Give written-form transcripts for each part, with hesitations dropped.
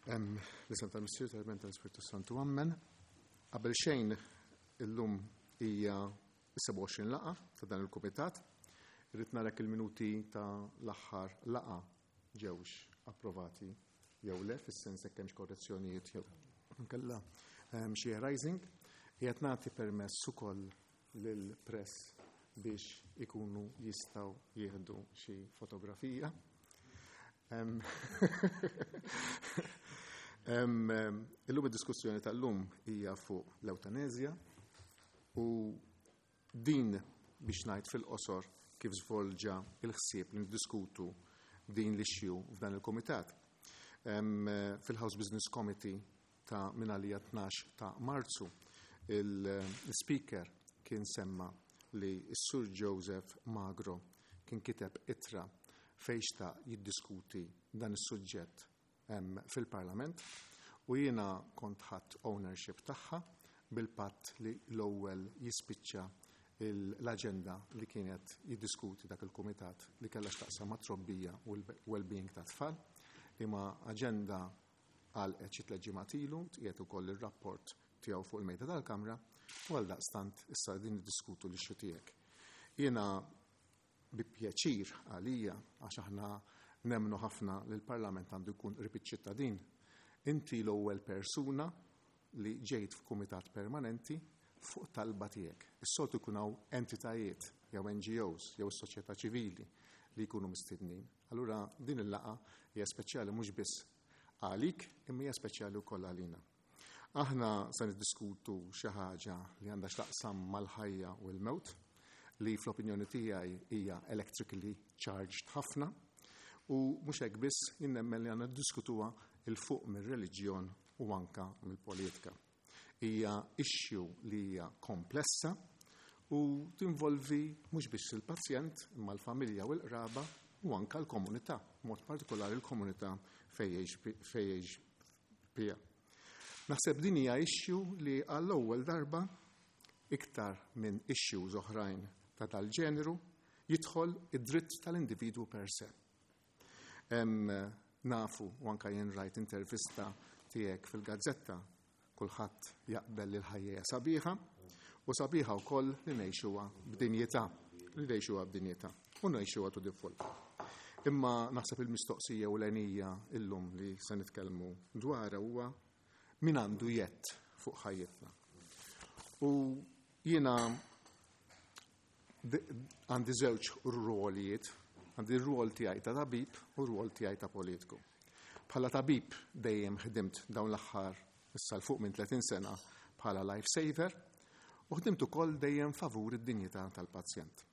L-isem tal-Missier tal-Iben tal-Ispirtu Santu Ammen. Qabel xejn illum hija 27 laqa ta' dan il-kumitat. Irrid narek il-minuti ta' l-aħħar laqa ġewx approvati jew le, fis-sens jekk hemmx korrezzjonijiet jew nkella xi arising. Qiegħed nagħti permess ukoll lill-press biex ikunu jistgħu jieħdu xi fotografija. Illum id-diskussjoni tal-lum hija fuq l-ewtanezja u din biex ngħid fil-qosor kif żvolġa il-ħsieb li niddiskutu din l-issue f'dan il-kumitat. Fil-House Business Committee ta' minn għalija 12 ta' Marzu, il-Speaker kien semma li s-Sur Joseph Magro kien kiteb ittra fejn xtaq jiddiskuti dan is-suġġett fil-Parlament u jiena kont ħadt ownership tagħha bil-patt li l-ewwel jispiċċa l-aġenda li kienet jiddiskuti dak il-kumitat li kellha x'taqsam mat-trobbija u l-well-being tat-tfal, liema aġenda għalqet xi tliet ġimgħat ilu, tqiegħed ukoll ir-rapport tiegħu fuq il-mejda tal-Kamra u għaldaqstant issa qegħdin niddiskutu l-issue tiegħek. Jiena bi pjaċir għalija, għax aħna nemmnu ħafna li l-Parlament għandu jkun qrib iċ-ċittadin, inti l-ewwel persuna li ġejt f'kumitat permanenti fuq talba tiegħek. Is-soltu jkun hawn entitajiet jew NGOs jew is-soċjetà ċivili li jkunu mistednin. Allura din il-laqgħa hija speċjali mhux biss għalik imma hija speċjali wkoll għalina. Aħna se niddiskutu xi ħaġa li għandha x'taqsam mal-ħajja u l-mewt, li fl-opinjoni tiegħi hija electrically charged ħafna, u mhux hekk biss jien nemmen li għandna niddiskutuha 'l fuq mir-reliġjon u anka mill-politika. Hija issue li hija komplessa u tinvolvi mhux biss il-pazjent imma l-familja u l-qraba u anka l-komunità, b'mod partikolari l-komunità fejn jgħix Pia. Naħseb din hija issue li għall-ewwel darba iktar minn issues oħrajn ta' dal-ġeneru jidħol id-dritt tal-individwu per se. Nafu u anka jien rajt intervista tiegħek fil-gazzetta kulħadd jaqbel li l-ħajja hija sabiħa u sabiħa wkoll li ngħixuha b'dinjità, li ngħixuha b'dinjità u ngħixuha to the full. Imma naħseb il-mistoqsija ewlenija illum li se nitkellmu dwarha huwa min għandu jedd fuq ħajjitna. U jiena għandi żewġ rwolijiet, għandi r-rwol tiegħi ta' tabib u r-rwol tiegħi ta' politiku. Bħala tabib dejjem ħdimt dawn l-aħħar issa l fuq minn 30 sena bħala life saver u ħdimt ukoll dejjem favur id-dinjità tal-pazjent.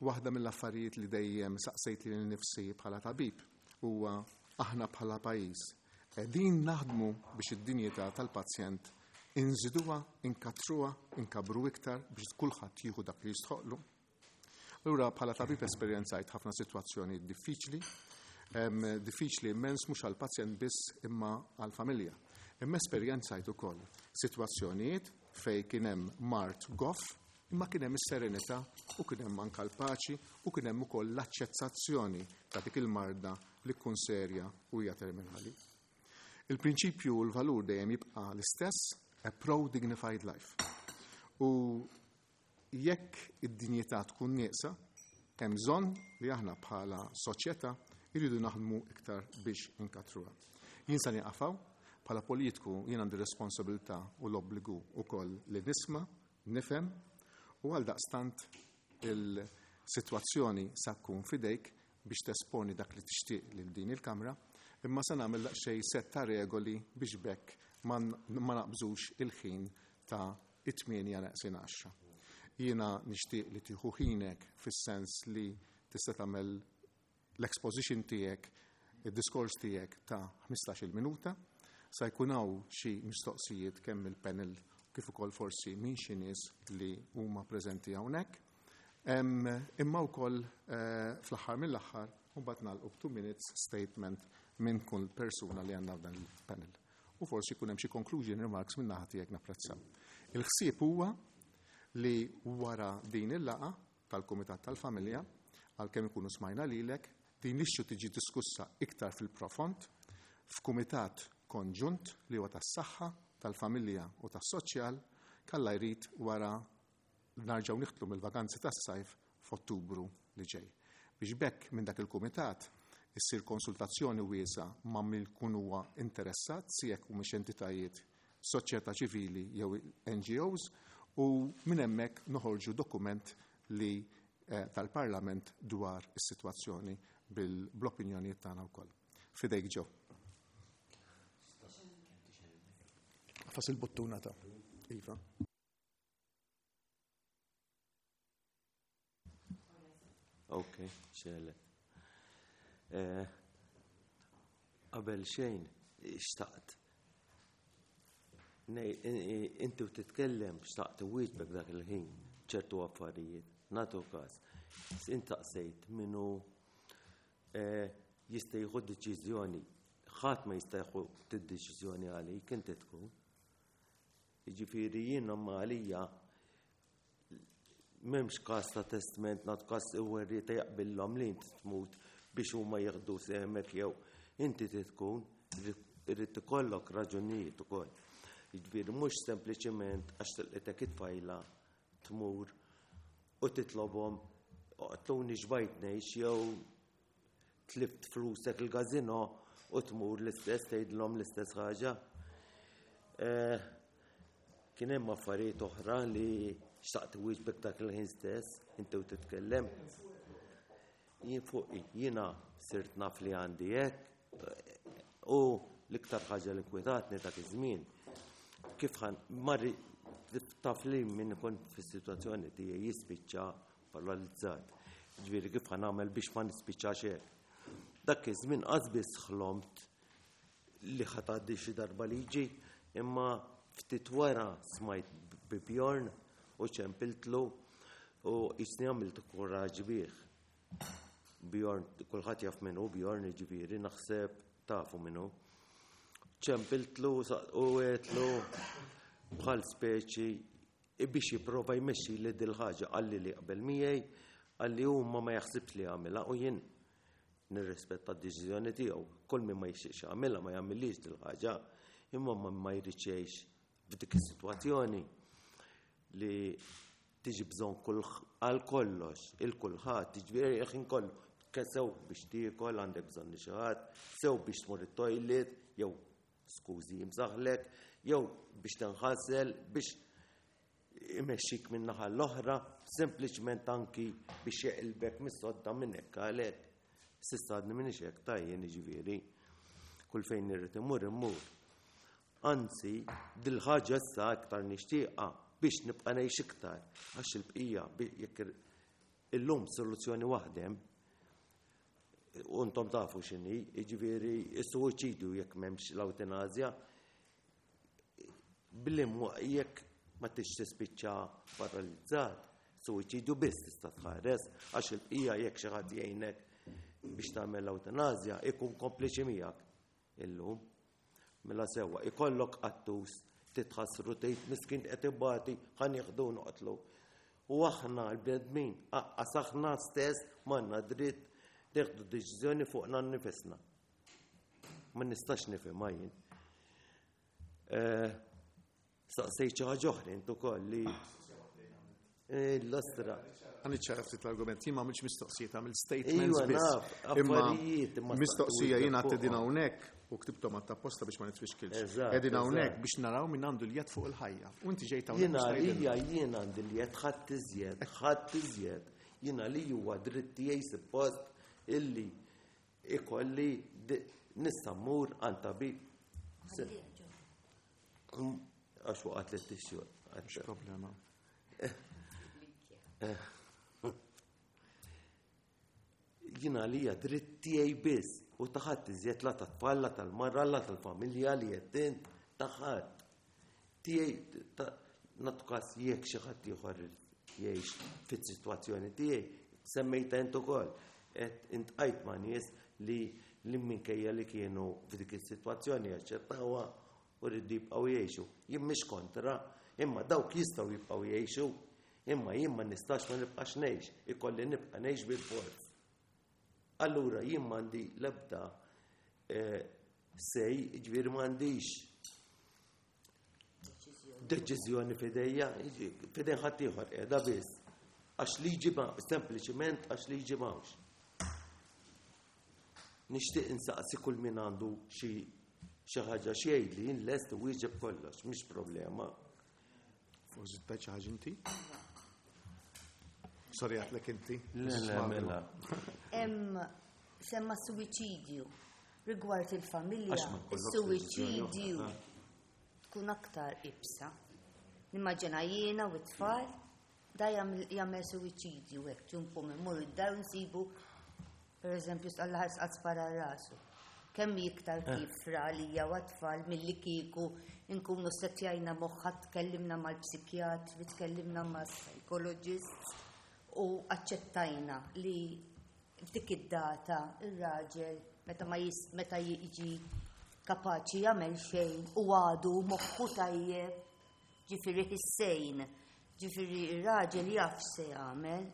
Waħda mill-affarijiet li dejjem saqsejt lili nnifsi bħala tabib huwa aħna bħala pajjiż qegħdin naħdmu biex id-dinjità tal-pazjent inżiduha, inkattruha, inkabbru iktar biex kulħadd jieħu dak li jistħoqlu. Allura bħala tabib esperjenzajt ħafna sitwazzjonijiet diffiċli, diffiċli immens mhux għall-pazjent biss imma għall-familja. Imma esperjenzajt ukoll sitwazzjonijiet fejn kien hemm mard goff Imma kien hemm is-serenità u kien hemm anke l-paċi u kien hemm ukoll l-aċċettazzjoni ta' dik il-marda li tkun serja u hija terminali. Il-prinċipju u l-valur dejjem jibqa' l-istess, a pro-dignified life. U jekk id-dinjità tkun nieqsa, hemm bżonn li aħna bħala soċjetà jridu naħdmu iktar biex inkattruha. Jien se nieqaf hawn, bħala politiku jien għandi responsabilità u l-obbligu wkoll li nisma' Nifhem, u għaldaqstant il-sitwazzjoni sa tkun f'idejk biex tesponi dak li tixtieq lil din il-Kamra, imma se nagħmel daqsxejn sett ta' regoli biex b'hekk ma naqbżux il-ħin ta' it-tmienja neqsin għaxra. Jiena nixtieq li tieħu ħinek fis-sens li tista' tagħmel l-exposition tiegħek, id-diskors tiegħek ta' 15-il minuta. Sa jkun hawn xi mistoqsijiet kemm mill-panel kif ukoll forsi minn xi nies li huma preżenti hawnhekk. Imma wkoll eh, fl-aħħar mill-aħħar mbagħad nagħlqu b'two minutes statement minn kull persuna li għandna f'dan il-panel. U forsi jkun hemm xi conclusion remarks minn naħa tiegħek napprezzaw. Il-ħsieb huwa li wara din il-laqa tal-Kumitat tal-Familja, għalkemm ikunu smajna lilek, din l-issue tiġi diskussa iktar fil-profond. f'kumitat konġunt li huwa tas-saħħa, tal-familja u tas-soċjal kalla jrid wara narġgħu niħtlu mill-vaganzi tas-sajf f'Ottubru li ġej. Biex b'hekk minn dak il-kumitat issir konsultazzjoni wiesgħa ma' min jkun huwa interessat, si jekk humiex entitajiet soċjetà ċivili jew NGOs, u minn hemmhekk noħorġu dokument li eh, tal-Parlament dwar is-sitwazzjoni bil-opinjonijiet tagħna wkoll. Fidejk ġew. Fas il-buttuna ta' Iva. Ok, xelet. Eh, qabel xejn, xtaqt. Inti u titkellem xtaqt wieġbek dak il-ħin ċertu affarijiet. Natu każ. Intaqsejt minnu eh, jista' jieħu deċiżjoni. Ħadd ma jista' jieħu deċiżjoni għalik inti tkun. Jiġifieri jien ma għalija m'hemmx każ ta' testment nagħtu każ werrieta jaqbillhom li inti tmut biex huma jieħdu sehmek jew inti trid tkun irid ikollok raġunijiet ukoll. Jiġifieri mhux sempliċiment għax tilqitek it-tfajla tmur u titlobhom oqtluni xbajt ngħix jew tlift flusek il-gazino u tmur l-istess tgħidilhom l-istess ħaġa. Eh, kien hemm affarijiet oħra li xtaqt wieġbek dak il-ħin stess, inti u titkellem. Jien fuq jiena sirt naf li għandi hekk u l-iktar ħaġa li nkwetatni dak iż-żmien kif ħan marri taf li min ikun fis-sitwazzjoni tiegħi jispiċċa paralizzat. Ġifieri kif ħa nagħmel biex ma nispiċċax hekk. Dak iż-żmien qas biss ħlomt li ħa tgħaddi xi darba liġi, imma ftit wara smajt bi Bjorn u ċempiltlu u jisni għamilt kuraġġ bih. Bjorn, kulħadd jaf min hu Bjorn, jiġifieri naħseb tafu min hu. Ċempiltlu u għedtlu bħal speċi biex jipprova jmexxili dil-ħaġa qalli li jaqbel miegħi, qalli hu ma ma jaħsibx li jagħmilha u jien nirrispetta d-deċiżjoni tiegħu. Kull min ma jixtieqx jagħmilha ma jagħmilhiex dil-ħaġa, imma ma ma jridx jgħix f'dik is-sitwazzjoni li tiġi bżonn kull għal kollox, il-kulħadd, jiġifieri il-ħin kollu, sew biex tiekol għandek bżonn xi ħadd, sew biex tmur it-toilet, jew skużi jimsaħlek, jew biex tinħasel, biex imexxik minn naħa l-oħra, sempliċement anki biex jeqilbek mis-sodda minn hekk għal hekk. S'issa għadni m'iniex hekk tajjen jiġifieri. Kull fejn irrid immur immur. Anzi, dil-ħaġa issa iktar nixtieqha biex nibqa' ngħix iktar għax il-bqija jekk illum soluzzjoni waħda hemm U intom tafu x'inhi, jiġifieri s-suwiċidju jekk m'hemmx l-awtenazja, billi jekk ma tix tispiċċa paralizzat, suwiċidju biss tista' tħares għax il-bqija jekk xi ħadd jgħinek biex tagħmel l-awtenazja ikun kompliċi miegħek illum. Mela sewwa, ikollok qattus titħassru tgħid miskin qed ibati ħa nieħdu noqtlu. U aħna l-bnedmin, aqqas aħna stess m'għandna dritt neħdu deċiżjoni fuqna nnifisna. Ma nistax nifhimha jien. Eh, Staqsejt xi ħaġa oħra int ukoll li eh, l-ostra. Għan iċċara ftit l-argument, jien ma għamilx mistoqsijiet, għamil statements iva, biss. Imma mistoqsija jien għatti din hawnhekk u ktibtom għatta posta biex ma nitfixkilx. Qegħdin hawnhekk biex naraw min għandu l-jed fuq il-ħajja. U inti ġejt hawnhekk. Jiena għalija jien għandi l-jed ħadd iżjed, ħadd iżjed. Jiena li huwa dritt tiegħi suppost illi ikolli nista' mmur għand tabib. Għax waqgħet li t-tixju. Mhux problema. Jina li hija dritt tiegħi biss u taħat iżjed la tat-tfal, la tal-marra, la tal-familja li qed int taħat. Tiegħi nagħtu każ jekk xi ħadd ieħor jgħix fis-sitwazzjoni tiegħi, semmejta int ukoll, qed intqajt ma' nies li li minkejja li kienu f'dik is-sitwazzjoni jaċċettawha u rridu jibqgħu jgħixu. Jien mhix kontra, imma dawk jistgħu jibqgħu jgħixu, imma jien ma nistax ma nibqax ngħix, ikolli nibqa' ngħix bil-forz. Allura jien m'għandi l-ebda eh, Say, ġifieri m'għandix deċiżjoni f'idejja, f'idejn ħaddieħor qiegħda biss. Għax liġi ma, sempliċiment għax liġi m'hawnx. Nixtieq insaqsi kull min għandu xi xi ħaġa xi jgħidli jien lest wieġeb kollox, mhix problema. Forsi tgħid xi ħaġa inti? Sorry għatlek inti. Le, le, mela. Hemm semma suwiċidju rigward il-familja, Għax ma jkollokx deċiżjoni suwiċidju oħra. tkun aktar ibsa. Nimmaġina jiena u t-tfal da jagħmel suwiċidju hekk ġumpu minn mur id-dar u nsibu pereżempju alla ħares qatt spara rasu. Kemm hi iktar kifra għalija u għat-tfal milli kieku nkunu settjajna moħħa tkellimna mal-psikjatri, tkellimna mal-psychologists u aċċettajna li f'dik id-data ir-raġel meta ma jis, meta jiġi kapaċi jagħmel xejn u għadu moħħu tajjeb, ġifieri ħissejn, ġifieri ir-raġel jaf x'se jagħmel.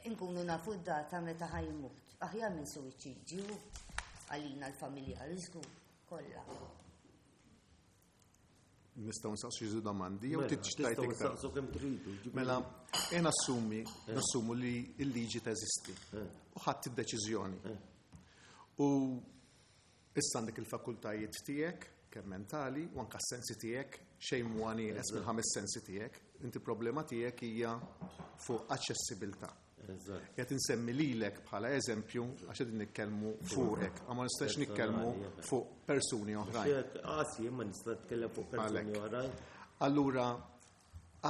Inkunu nafu d-data meta ħa jmut. Aħjar minn suwiċidju għalina l-familjari żgur kollha. Nistgħu nsaqsu xi domandi jew Mela, trid tgħid tistgħu iktar. nsaqsu kemm tridu. ġifieri. Mela, jien assumi, nassumu li l-liġi teżisti u ħadd id-deċiżjoni. U issa għandek il-fakultajiet tiegħek kemm mentali u anke s-sensi tiegħek xejn mhu nieqes mill-ħames sensi tiegħek. Inti problema tiegħek hija fuq aċċessibilità. Eżatt. Qed insemmi lilek bħala eżempju għax qegħdin nitkellmu fuqek, ma nistax nitkellmu fuq persuni oħrajn. Xek, qasi, ma nista' nitkellem fuq persuni Għalhekk. oħrajn. Allura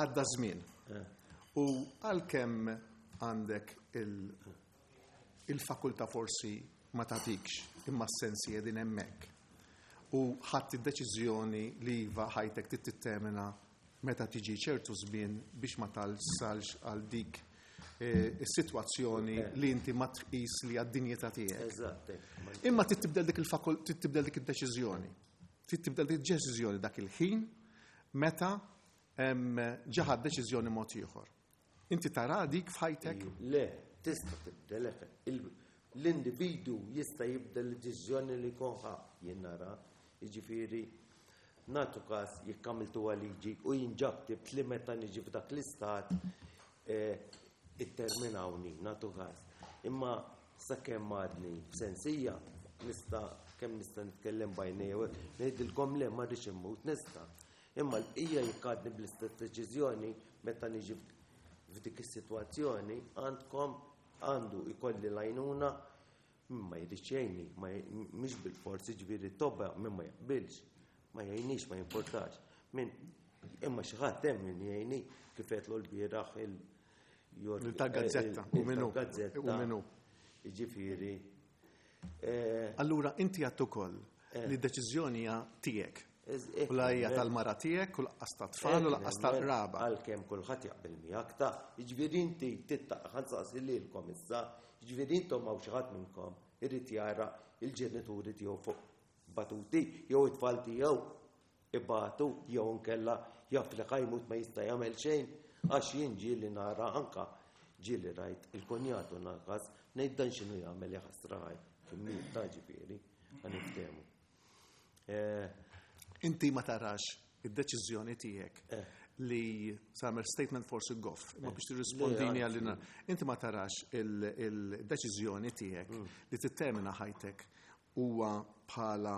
għadda żmien. U għalkemm għandek il-fakultà forsi ma tagħtikx imma s-sensi qegħdin hemmhekk. U ħadd id-deċiżjoni li iva ħajtek trid tittermina meta tiġi ċertu żmien biex ma talsalx għal dik is-sitwazzjoni li inti ma tqis li għad-dinjità tiegħek. Eżatt. hekk. Imma trid tibdel dik il-fakul, trid tibdel dik id-deċiżjoni. Trid tibdel dik id-deċiżjoni dak il-ħin meta ġaħad deċiżjoni mod ieħor. Inti tara dik f'ħajtek? Le, tista' tibdel hekk. L-individu jista' jibdel id-deċiżjoni li jkun ħa jien nara. Jiġifieri nagħtu każ jekk għamiltu liġi u jien ġa ktibt li meta niġi f'dak l-istat itterminawni, nagħtu każ. Imma sakemm għadni b'sensija nista' kemm nista' nitkellem bajnejja u hekk, ngħidilkom le ma rridx immut nista'. Imma l-bqija jekk għadni bl-istess deċiżjoni meta niġi f'dik is-sitwazzjoni għandkom għandu jkolli l-għajnuna min ma jridx jgħinni, mhix bil-forsi ġifieri tobba min ma jaqbilx, ma jgħinix, ma jimportax. Min imma xi ħadd hemm min jgħinni kif qedlu l-bieraħ il- jor- Il tal-gazzetta, u min hu? il-tal-gazzetta. U min hu? Jiġifieri, Allura inti għedt ukoll li d-deċiżjoni hija tiegħek. U la hija tal-mara tiegħek u laqqas tat-tfal u laqqas tal-qraba. Għalkemm kulħadd jaqbel miegħek ta' jiġifieri inti tittaq ħa nsaqsi lilkom issa, jiġifieri intom hawn xi ħadd minnkom irid jara il-ġenituri tiegħu fuq batuti jew it-tfal tiegħu ibatu jew inkella jaf li ħa jmut ma jista' jagħmel xejn għax jien ġieli nara anka ġieli rajt il-konjatu naqas ngħid dan x'inhu jagħmel jaħasra ħaj kien ta' ġifieri ħa niftehmu. Inti ma tarax id-deċiżjoni tiegħek li samer statement forsi goff, imma biex tirrispondini Le, għalina. Inti ma tarax il-deċiżjoni tiegħek li tittermina ħajtek huwa bħala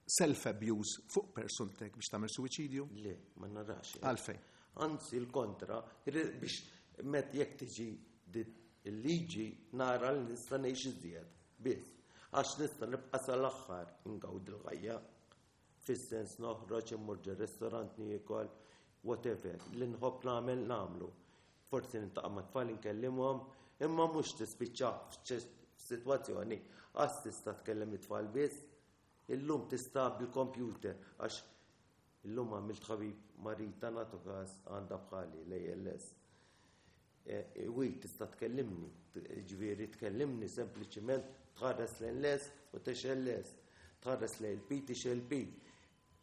self-abuse fuq persontek biex tagħmel suwiċidju? Le, ma narax. Għalfejn? Anzi, il-kontra, biex met jekk tiġi il-liġi nara li nista' ngħix iżjed. Biss, għax nista' nibqa' sal-aħħar ingawdi l-ħajja. Fis-sens noħroġ immur ġo restorant niekol, whatever, li nħobb nagħmel nagħmlu. Forsi niltaqa' ma' tfal inkellimhom, imma mhux tispiċċa f'sitwazzjoni għax tista' tkellem it-tfal biss, illum tista' bil-computer għax illum għamilt ħabib Marita nagħtu każ għandha bħali l-ALS. Wi tista' tkellimni, ġifieri tkellimni sempliċiment tħares lejn l-S u tixgħel l-S, tħares lejn il-P tixgħel P.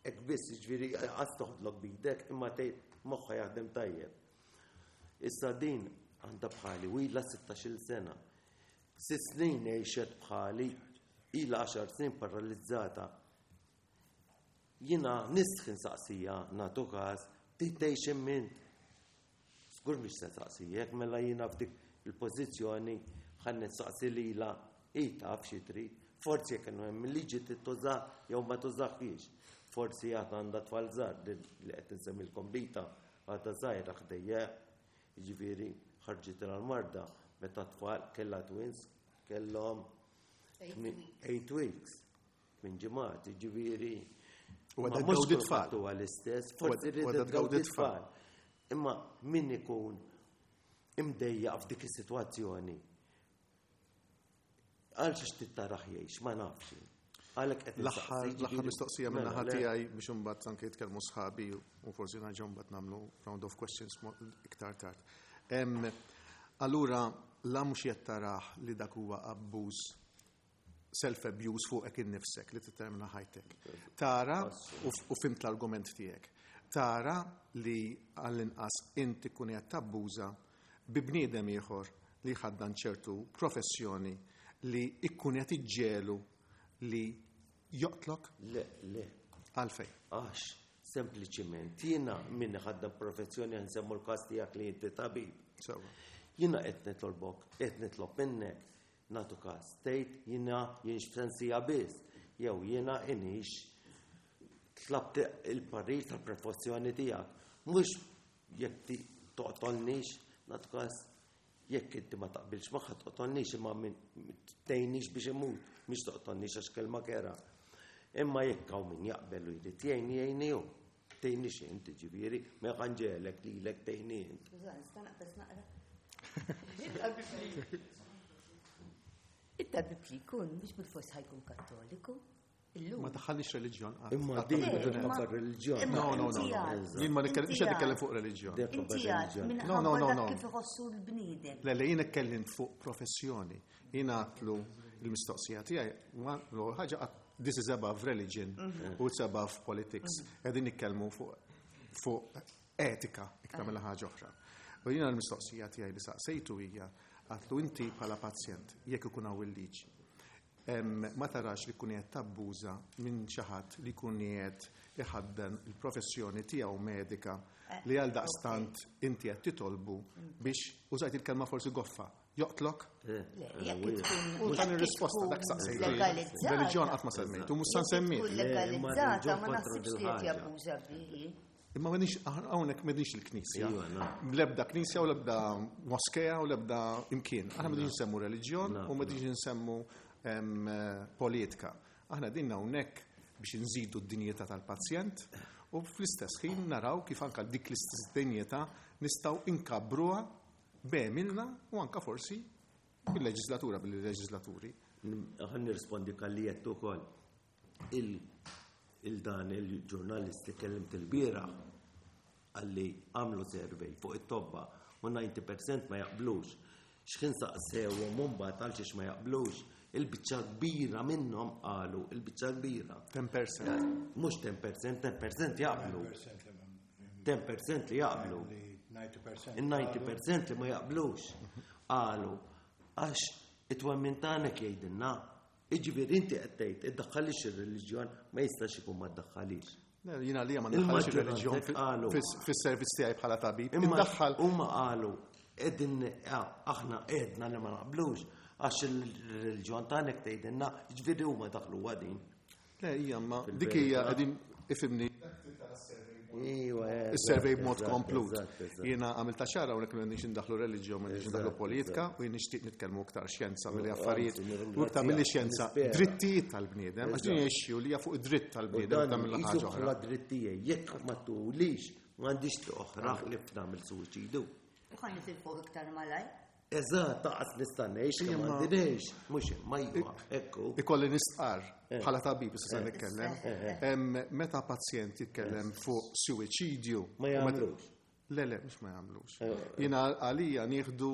Hekk biss ġifieri qas toħodlok bidek imma tgħid moħħha jaħdem tajjeb. Issa din għandha bħali u ilha 16-il sena. 6 snin għexet bħali Ilha għaxar snin paralizzata. Jiena nistħi nsaqsija nagħtu każ trid tgħix imma int. Żgur mhix se nsaqsijek, mela jiena f'dik il-pożizzjoni ħa nistaqsi lilha hi taf xi trid. Forsi jekk hemm liġi tituża jew ma tużaħiex. Forsi għad għandha tfal żgħar li qed insemmilkom bita għadha żgħira ħdejja. Jiġifieri ħarġet l-marda meta tfal kellha twins kellhom 8 weeks minn ġimgħat, jiġifieri. U għadha tgawdi tfal. Huwa l-istess, forsi rrid tgawdi tfal. Imma min ikun imdejjaq f'dik is-sitwazzjoni għal xiex tittarah jgħix, ma nafx. Għalhekk qed L-aħħar mistoqsija minn naħa tiegħi biex imbagħad anke jitkellmu sħabi u forsi nerġgħu mbagħad nagħmlu round of questions iktar tard. Allura la mhux qed tarah li dak huwa abbuż, self-abuse fuqek innifsek li tittermina ħajtek. Tara u fhimt l-argument tiegħek. Tara li għall-inqas inti kun qed tabbuża bi bniedem ieħor li ħaddan ċertu professjoni li ikkun qed iġġelu li joqtlok? Le, le. Għalfej. Għax, sempliċiment, jiena min ħaddan professjoni, nsemmu l-kas tiegħek li inti tabib. Sewa. Jiena qed nitolbok, qed nitlob minnek, nagħtu każ, tgħid jiena jienx f'sensija biss, jew jiena inix tlabt il-parir tal-professjoni tiegħek. Mhux jekk toqtolnix, nagħtu każ, jekk inti ma taqbilx magħha toqtolnix, imma min tgħinix biex imut, mhix toqtolnix għax kelma kera. Imma jekk hawn min jaqbel u jrid jgħin, jgħinni hu. Tgħinix inti ġifieri, ma ħanġelek lilek tgħinni int. Nista' naqbes naqra? It-tabib li jkun biex bil-fors ħa jkun Kattoliku. Illum. Ma daħħalniex reliġjon. Imma din minħabba reliġjon. No, no, no. Jien ma nitkellem, mhux qed nitkellem fuq reliġjon. Inti għad No, no, no, no. kif iħossu l-bniedem. Le, le, jien itkellimt fuq professjoni. Jien għatlu il-mistoqsija tiegħi, l-ewwel ħaġa this is above religion u it's above politics. Qegħdin nitkellmu fuq etika iktar mill ħaġa oħra. U jiena l-mistoqsija tiegħi li saqsejtu hija għatlu inti bħala pazjent jekk ikun hawn il-liġi. Ma tarax li kun qed tabbuża minn xi ħadd li jkun qiegħed iħaddan il-professjoni tiegħu medika li għal daqstant inti qed titolbu biex, użajt il-kelma forsi goffa, joqtlok? Le, jekk tkun U dan ir-risposta dak saqsejt. legalizzata. Reliġjon qatt ma semmejt, u mhux sa nsemmi. Tkun legalizzata ma naħsibx li qed jabbuża bihi. Imma m'għandix, hawnhekk m'għandix il-Knisja. Iva, no. L-ebda Knisja u l-ebda moskea u l-ebda imkien. Aħna m'għandix nsemmu reliġjon u m'għandix nsemmu politika. Aħna din hawnhekk biex nżidu d-dinjità tal-pazjent u fl-istess ħin naraw kif anka dik l-istess dinjità nistgħu inkabbruha b'għemilna u anka forsi bil-leġislatura, bil-leġislaturi. Ħa nirrispondi kalli jettu ukoll. Il-dan il-ġurnalist li kellimt il-bieraħ għalli għamlu survey fuq it-tobba u 90% ma jaqblux. X'ħin saqsewhom mbagħad għal xiex ma jaqblux, il-biċċa kbira minnhom qalu, il-biċċa kbira. 10%. Mhux 10%, 10% jaqblu. 10% li jaqblu. 90%. Il-90% li ma jaqblux. Qalu, għax it-twemmin tagħna jgħidilna. Iġifieri inti qed tgħid iddaħħalix ir-reliġjon, ma jistax ikun ma ddaħħalix. Le, jiena li ma ndaħħalx ir-reliġjon Il-maġġoranza qalu. fis-servizz tiegħi bħala tabib. Imma Indaħħal huma qalu qegħdin aħna qedna li ma naqblux għax il-reliġjon tagħna tgħidilna, ġifieri huma daħlu għadin. Le, hija ma dik hija qegħdin ifhimni Iwa, is-survey b'mod komplut. eżatt. Jiena għamilta ċara hawnhekk m'għandix indaħlu reliġjon, m'għandix indaħlu politika u jien nixtieq nitkellmu iktar xjenza milli affarijiet anzi, u iktar milli xjenza nispera. drittijiet tal-bniedem, għax din jgħixxu li hija fuq id-dritt U tal-bniedem dan ta' mill jisu ħaġa oħra. bħala drittijiet, jekk ma tulix, m'għandix oħra li f'nagħmel suwiċidu. U ħa nitilfuh iktar malaj. Eżatt, taqas nista' ngħix kemm Imma- għandi ngħix, mhux imma iva, ekku. Ikolli nistqar bħala tabib issa se nitkellem. Meta pazjent jitkellem fuq suwiċidju. Ma u meta- jagħmlux. Le, le, mhux ma jagħmlux. Jiena għalija nieħdu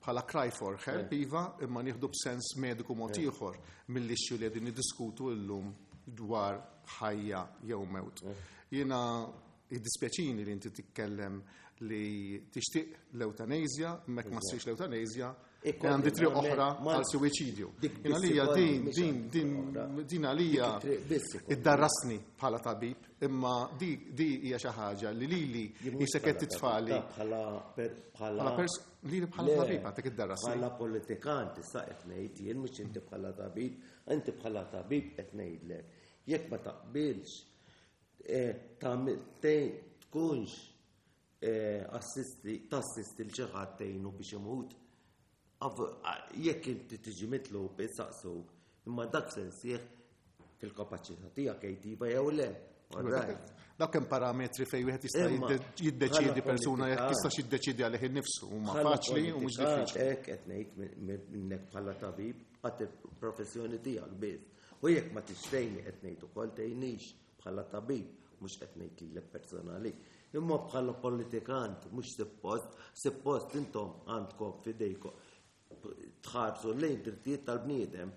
bħala cry for help, iva, imma nieħdu b'sens mediku mod ieħor mill-issue li qegħdin niddiskutu llum dwar ħajja jew mewt. Jiena Jiddispjaċini li inti titkellem li tixtieq l-eutanasja, mek ma ssirx l-eutanasja, għandi triq oħra għal suwiċidju. Għalija din, din, din, din għalija iddarrasni bħala tabib, imma di hija xi ħaġa li lili jisek qed titfali. Bħala lili bħala tabib għandek iddarrasni. Bħala politikant issa qed ngħid jien mhux inti bħala tabib, inti bħala tabib qed ngħidlek. Jekk ma taqbilx tkunx assisti, tassisti l xi ħadd tgħinu biex imut. Jekk inti tiġi mitlub issaqsuk, imma dak se nsieħ fil-kapaċità tiegħek jgħid iva jew le. Dak hemm parametri fejn wieħed jista' jiddeċiedi persuna jekk jistax jiddeċiedi għalih innifsu huma faċli u mhux diffiċli. Hekk qed ngħid minnek bħala tabib għad il-professjoni tiegħek biss. U jekk ma tixtejni qed ngħid ukoll tgħinix bħala tabib, mhux qed ngħid lilek personali, imma bħala politikant mhux suppost, suppost intom għandkom f'idejkom tħarsu lejn drittijiet tal-bniedem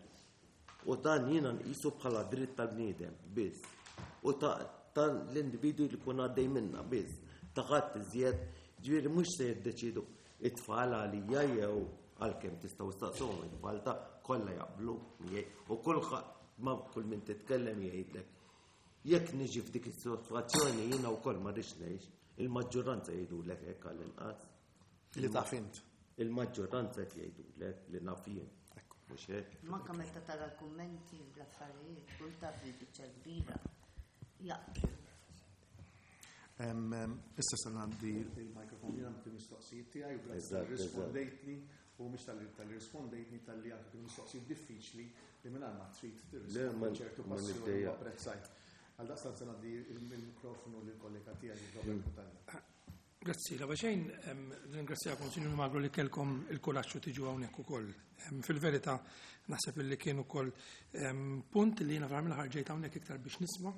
u dan jiena nqisu bħala dritt tal-bniedem biss. U ta' l-individwu li jkun għaddej minna biss, ta' ħadd iżjed, ġifieri mhux se jiddeċidu it-tfal għalija jew għalkemm tistgħu staqsuhom it-tfal ta' kollha jaqblu miegħi u kulħadd ma' kull min titkellem jgħidlek. Jekk niġi f'dik is-sitwazzjoni jiena wkoll ma rridx ngħix, il-maġġoranza jgħidulek hekk għall-inqas. Li taf int. Il-maġġoranza qed jgħidulek li naf jien. Mhux hekk. Manka meta tara l-kummenti u l-affarijiet, kull taf li biċċa kbira jaqblu. Issa se ngħaddi il-mikrofon jiena għandi mistoqsijiet tiegħi u grazzi rispondejtni u mhux tal-li rispondejtni tal-li anke kienu mistoqsijiet diffiċli li mingħajr ma trid tirrispondi ċertu passjoni u apprezzajt. Għal daqstant se ngħaddi il-mikrofonu lill-kollega tiegħi Robert Cutajar. Grazzi, la xejn, ringrazzjakom Sinjur Magro li kelkom il-kuraġġ u tiġu hawnhekk ukoll. Fil-verità naħseb li kien ukoll punt li jiena fl aħħar ġejt hawnhekk iktar biex nisma'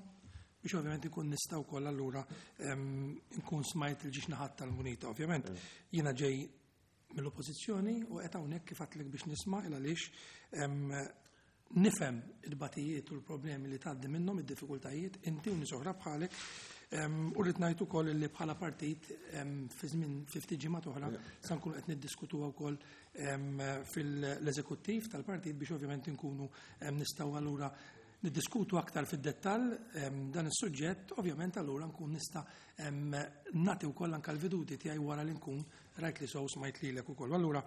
biex ovvjament ikun nista' wkoll allura nkun smajt il-ġiex naħat tal-munita. Ovvjament jiena ġej mill-oppożizzjoni u qed hawnhekk kif għedtlek biex nisma' il għaliex nifhem il-batijiet u l-problemi li tgħaddi minnhom id-diffikultajiet inti u nies oħra bħalek u rrid ngħid ukoll li bħala partit fi żmien 50 ġimgħat oħra sa nkunu qed niddiskutuha wkoll fil-eżekuttiv tal-partit biex ovvjament inkunu nistgħu allura niddiskutu aktar fid-dettall dan is-suġġett, ovvjament allura nkun nista' nagħti wkoll anke l-veduti tiegħi wara li nkun rajt li sew smajt lilek ukoll. Allura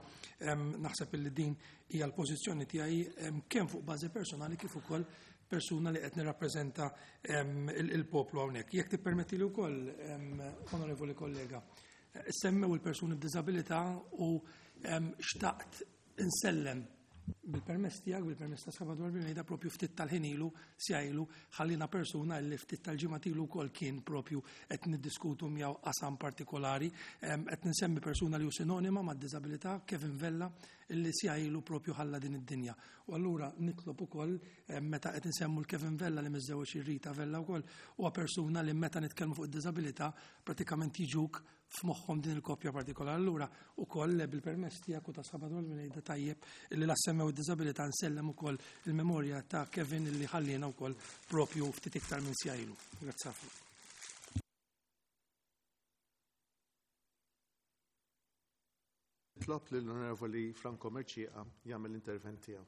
naħseb li din hija l-pożizzjoni tiegħi kemm fuq bażi personali kif ukoll persuna li qed nirrappreżenta il-poplu hawnhekk. Jekk tippermetti li wkoll, onorevoli kollega, semmew il-persuni b'diżabilità u xtaqt insellem bil-permess tiegħek, bil-permess ta' Salvador Bilmejda, propju ftit tal-ħin ilu, sija ilu, ħallina persuna li ftit tal-ġimgħa ilu wkoll kien propju qed niddiskutu miegħu qasam partikolari, qed ninsemmi persuna li hu sinonima mad-diżabilità, Kevin Vella, illi sija ilu propju ħalla din id-dinja. U allura nitlob ukoll meta qed insemmu l-Kevin Vella li miżżewweġ ir-Rita Vella wkoll, huwa persuna li meta nitkellmu fuq id-diżabilità pratikament jiġuk f'moħħhom din il-koppja partikolari. Allura ukoll bil-permess tiegħek u ta' Salvador Bilmejda tajjeb illi la semmew id-diżabilità nsellem ukoll il-memorja ta' Kevin illi ħallina wkoll propju ftit iktar minn sija ilu. Grazzi ħafna. Nitlob lill-Onorevoli Franco Mercieca jagħmel l-intervent tiegħu.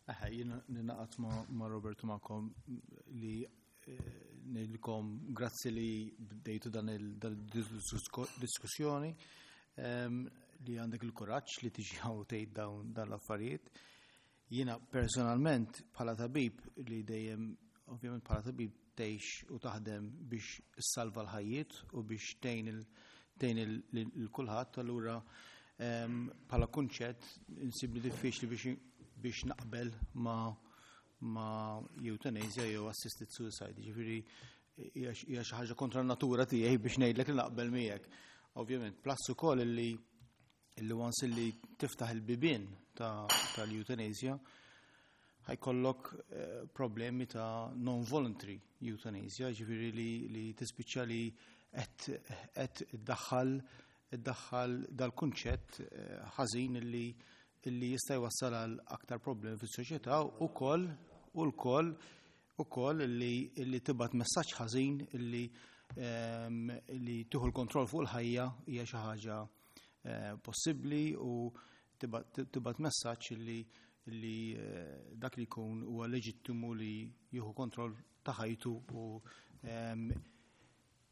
Eħe, jiena ninaqat ma' Roberto magħkom li ngħidilkom grazzi li bdejtu dan il-diskussjoni, li għandek il-kuraġġ li tiġi hawn tgħid dawn dan l-affarijiet. Jiena personalment bħala tabib li dejjem ovvjament bħala tabib tgħix u taħdem biex issalva l-ħajjiet u biex tgħin il kulħadd, allura bħala kunċett insibli diffiċli biex naqbel ma' euthanasia jew assisted suicide. Ġifieri hija xi ħaġa kontra n-natura tiegħi biex ngħidlek li naqbel miegħek. Ovvjament, plus ukoll illi once illi tiftaħ il-bibien tal-euthanasia ħajkollok problemi ta' non-voluntary euthanasia, ġifieri li tispiċċa li qed iddaħħal dal-kunċett ħażin illi jista' jwassal għal aktar problemi fis-soċjetà u koll u l-koll ukoll illi tibgħat messaġġ ħażin illi li tieħu l-kontroll fuq il-ħajja hija xi ħaġa eh, possibbli u tibgħat messaġġ li li eh, dak li jkun huwa leġittimu li jieħu kontroll ta' ħajtu u ehm,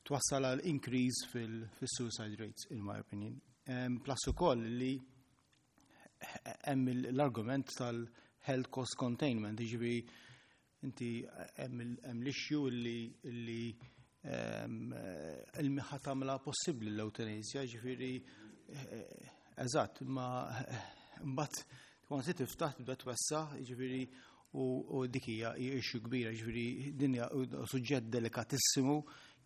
twassal għal increase fil-suicide rates, in my opinion. Ehm, plus ukoll li hemm l-argument tal-health cost containment, jiġifieri inti hemm l-issue li li ehm, il-miħa tagħmilha possibbli l-eutanasja, ġifieri eh, eżatt, ma mbagħad tkun se tiftaħ tibda twessa, ġifieri u dik hija issue kbira, ġifieri din hija suġġett delikatissimu,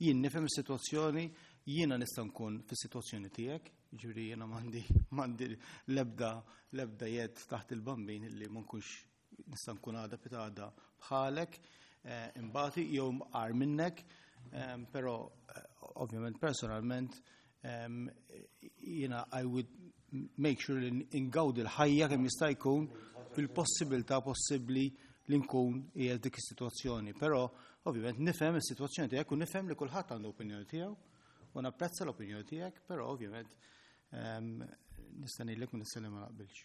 jien nifhem is-sitwazzjoni, jiena nista' nkun fis-sitwazzjoni tiegħek, ġifieri jiena m'għandi m'għandi l-ebda l-ebda jed taħt il-bambin li ma nkunx nista' nkun għada pitgħada bħalek, eh, imbati jew mqar minnek, eh, però eh, ovvjament personalment jiena I would make sure li ingawdi l-ħajja kemm jista' jkun fil-possibilità possibbli li nkun qiegħed dik is-sitwazzjoni. Però ovvjament nifhem is-sitwazzjoni tiegħek u nifhem li kulħadd għandu opinjoni tiegħu u napprezza l-opinjoni tiegħek, però ovvjament nista' ngħidlek minn issa li ma naqbilx.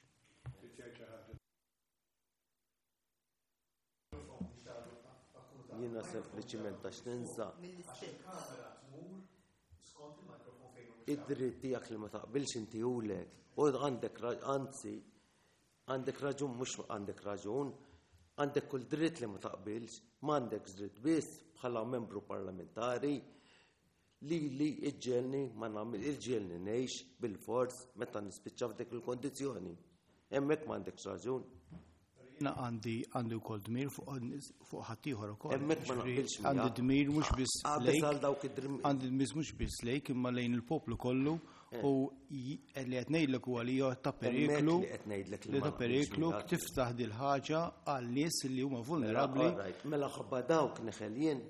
Jiena sempliċiment għax ninsa. Id-dritt tiegħek li ma taqbilx inti ulek. U għandek anzi għandek raġun mhux għandek raġun, għandek kull dritt li ma taqbilx, m'għandek dritt biss bħala membru parlamentari li li iġġelni ma nagħmel iġġelni ngħix bil-fors meta nispiċċa f'dik il-kondizzjoni. Hemmhekk m'għandekx raġun. Jiena għandi għandi wkoll dmir fuq ħaddieħor ukoll. Hemmhekk ma naqbilx. Għandi dmir mhux biss lejk. Għandi dmir mhux biss lejk imma lejn il-poplu kollu eh. u li qed ngħidlek huwa li ta' periklu li ta' periklu tiftaħ dil ħaġa għal nies li huma vulnerabbli. Mela ħabba dawk neħel jien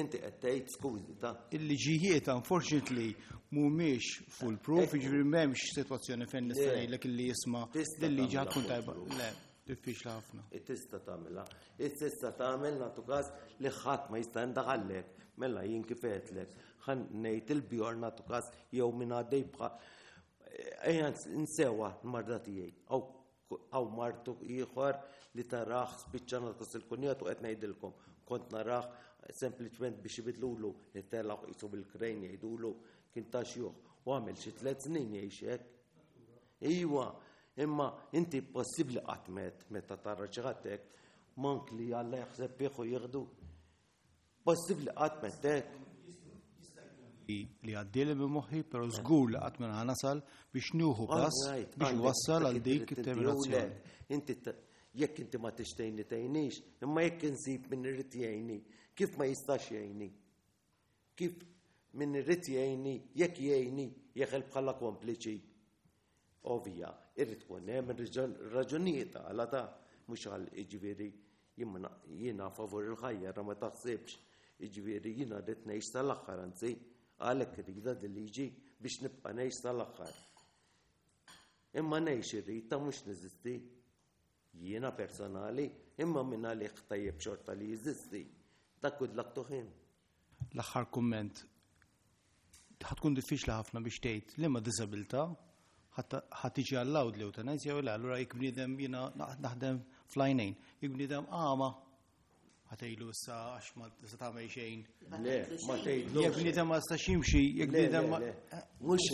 Inti qed tgħid skużi ta'. Il-liġijiet unfortunately mhumiex full proof, jiġifieri m'hemmx sitwazzjoni fejn nista' ngħidlek illi jisma' il-liġi ħadd tkun tajba. Le, diffiċli ħafna. Tista' tagħmilha. Tista' tagħmel nagħtu każ li ħadd ma jista' jindaħallek. Mela jien kif għedtlek, ħa ngħid il-bjor nagħtu każ jew min għaddej bħal ejja nsewa l-marda tiegħi. Hawn martu ieħor li tarah spiċċa nagħtas il-kunjat u qed ngħidilkom kont narah sempliċement biex ibidlulu it-telgħu qisu bil-krejn jgħidulu kien ta' xjuħ u għamel xi tliet snin jgħix hekk. Iwa, imma inti possibbli qatt met meta tara xi ħadd hekk mank li Alla jaħseb fih u jieħdu. Possibbli qatt mettek? Li għaddieli minn moħħi, però żgur li qatt ma nasal biex nieħu pass biex wassal għal dik it-terminazzjoni. Inti jekk inti ma tixtejni tgħinix, imma jekk insib min irid jgħinni, kif ma jistax jgħinni? Kif min irid jgħinni, jekk jgħinni, jeħel bħala kompliċi? Ovvja, irrid tkun hemm raġunijiet għala ta' mhux għal jiġifieri jiena favur il-ħajja ra ma taħsibx. Jiġifieri jiena rrid ngħix sal-aħħar anzi għalhekk irridha dil-liġi biex nibqa' ngħix sal-aħħar. Imma ngħix irrid ta' mhux neżisti. Jiena personali, imma minn għalih tajjeb xorta li jeżisti. Dak good luck to him. L-aħħar kumment ħa tkun diffiċli ħafna biex tgħid li ma diżabilità ħa tiġi allowed l-eutanasja jew le, allura jekk bniedem jiena naħdem fl-għajnejn, jekk bniedem għama ħa tgħidlu issa għax ma tista' tagħmel xejn. Le, ma tgħidlu. Jekk bniedem ma jistax jimxi, jekk bniedem ma. Mhux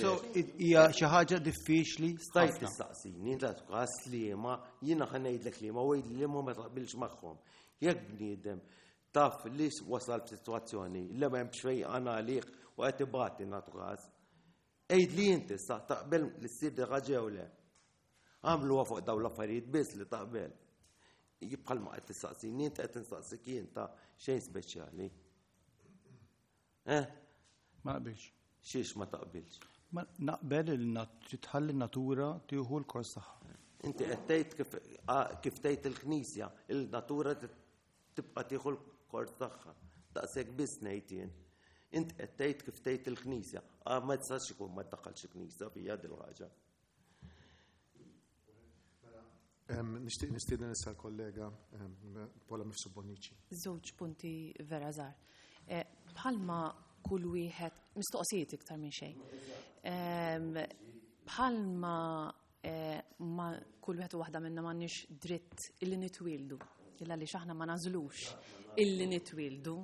hija xi ħaġa diffiċli. Stajt tistaqsini, la tqas li ma jiena ħa ngħidlek li ma u li ma taqbilx magħhom. Jekk bniedem Taf li wasal f'sitwazzjoni li m'hemmx fejqan għalih u qed ibati nagħtu każ. Għidli inti sa taqbel li ssir di ħaġa jew le. Għamluha fuq dawn l-affarijiet biss li taqbel. Bħalma qed tistaqsini int qed nistaqsik jien ta' xejn speċjali. Eh? Ma naqbilx. Xiex ma taqbilx? Ma naqbel li tħalli natura tieħu l-kors tagħha. Inti qed tgħid kif tgħid il-Knisja, il-natura tibqa' tieħu l-kors tagħha. Daqshekk biss ngħid jien. Int qed tgħid kif tgħid il-Knisja. Ah, ma tistax ikun ma tdaħħalx il-Knisja fija dil-ħaġa. Nixtieq nistieden issa l-kollega Paula Mifsud Bonnici. Żewġ punti vera żgħar. Eh, bħalma kull wieħed mistoqsijiet iktar minn xejn. Bħalma eh, ma kull wieħed u waħda minna m'għandniex dritt illi nitwieldu, illa li aħna ma nażlux illi nitwieldu.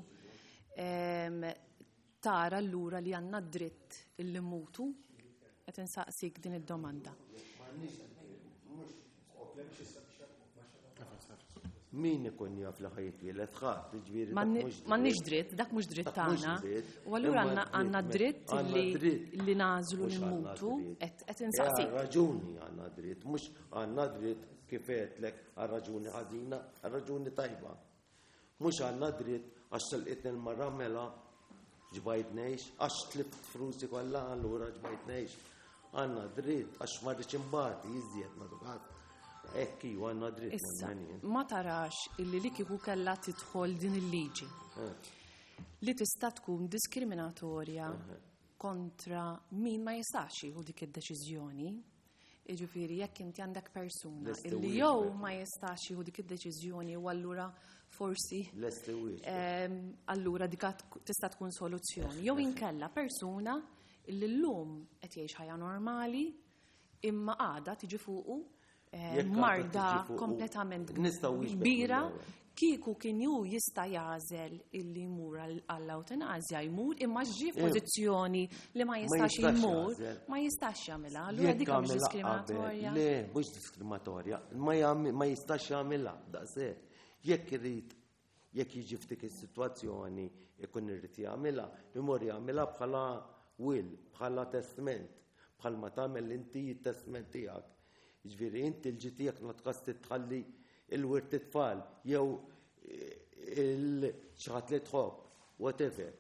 Tara allura li għandna dritt illi mutu? Qed insaqsik din id-domanda. Min ikun jaf li ħa jitwieled ħadd, jiġifieri dak mhux dritt. M'għandniex dritt, dak mhux dritt tagħna. U allura għandna dritt li nagħżlu li nmutu qed insaqsik. Raġuni għandna dritt, mhux għandna dritt kif għedtlek għal raġuni ħażina, għal raġuni tajba. Mhux għandna dritt għax telqitni l-mara mela ġbajt ngħix, għax tlift flusi kollha allura ġbajt ngħix. Għandna dritt għax ma rridx imbati iżjed ma dukat. Hekk iva għandna dritt. Issa, ma tarax illi li kieku kellha tidħol din il-liġi eh. li tista' tkun diskriminatorja eh. kontra min ma jistax jieħu dik id-deċiżjoni Jiġifieri jekk inti għandek persuna illi jew ma jistax jieħu dik id-deċiżjoni u allura forsi ehm, allura dik tista' tkun soluzzjoni. Jew inkella persuna illi llum qed jgħix ħajja normali imma għada tiġi fuqu eh, marda kompletament kbira Kieku kien hu jista' jagħżel illi jmur għall-awtenasja jmur imma ġie eh. f'pożizzjoni li ma jistax jmur, ma jistax jagħmilha. Allura dik mhux diskriminatorja. Le, mhux diskriminatorja, ma jistax jagħmilha daqshekk. Jekk irid jekk jiġi f'dik is-sitwazzjoni ikun irid jagħmilha, imur jagħmilha bħala will, bħala testment, bħalma tagħmel inti t-testment tiegħek. Jiġifieri inti l-ġi tiegħek ma tqas titħalli il-wirt it-tfal jew il xi ħadd li tħobb, whatever.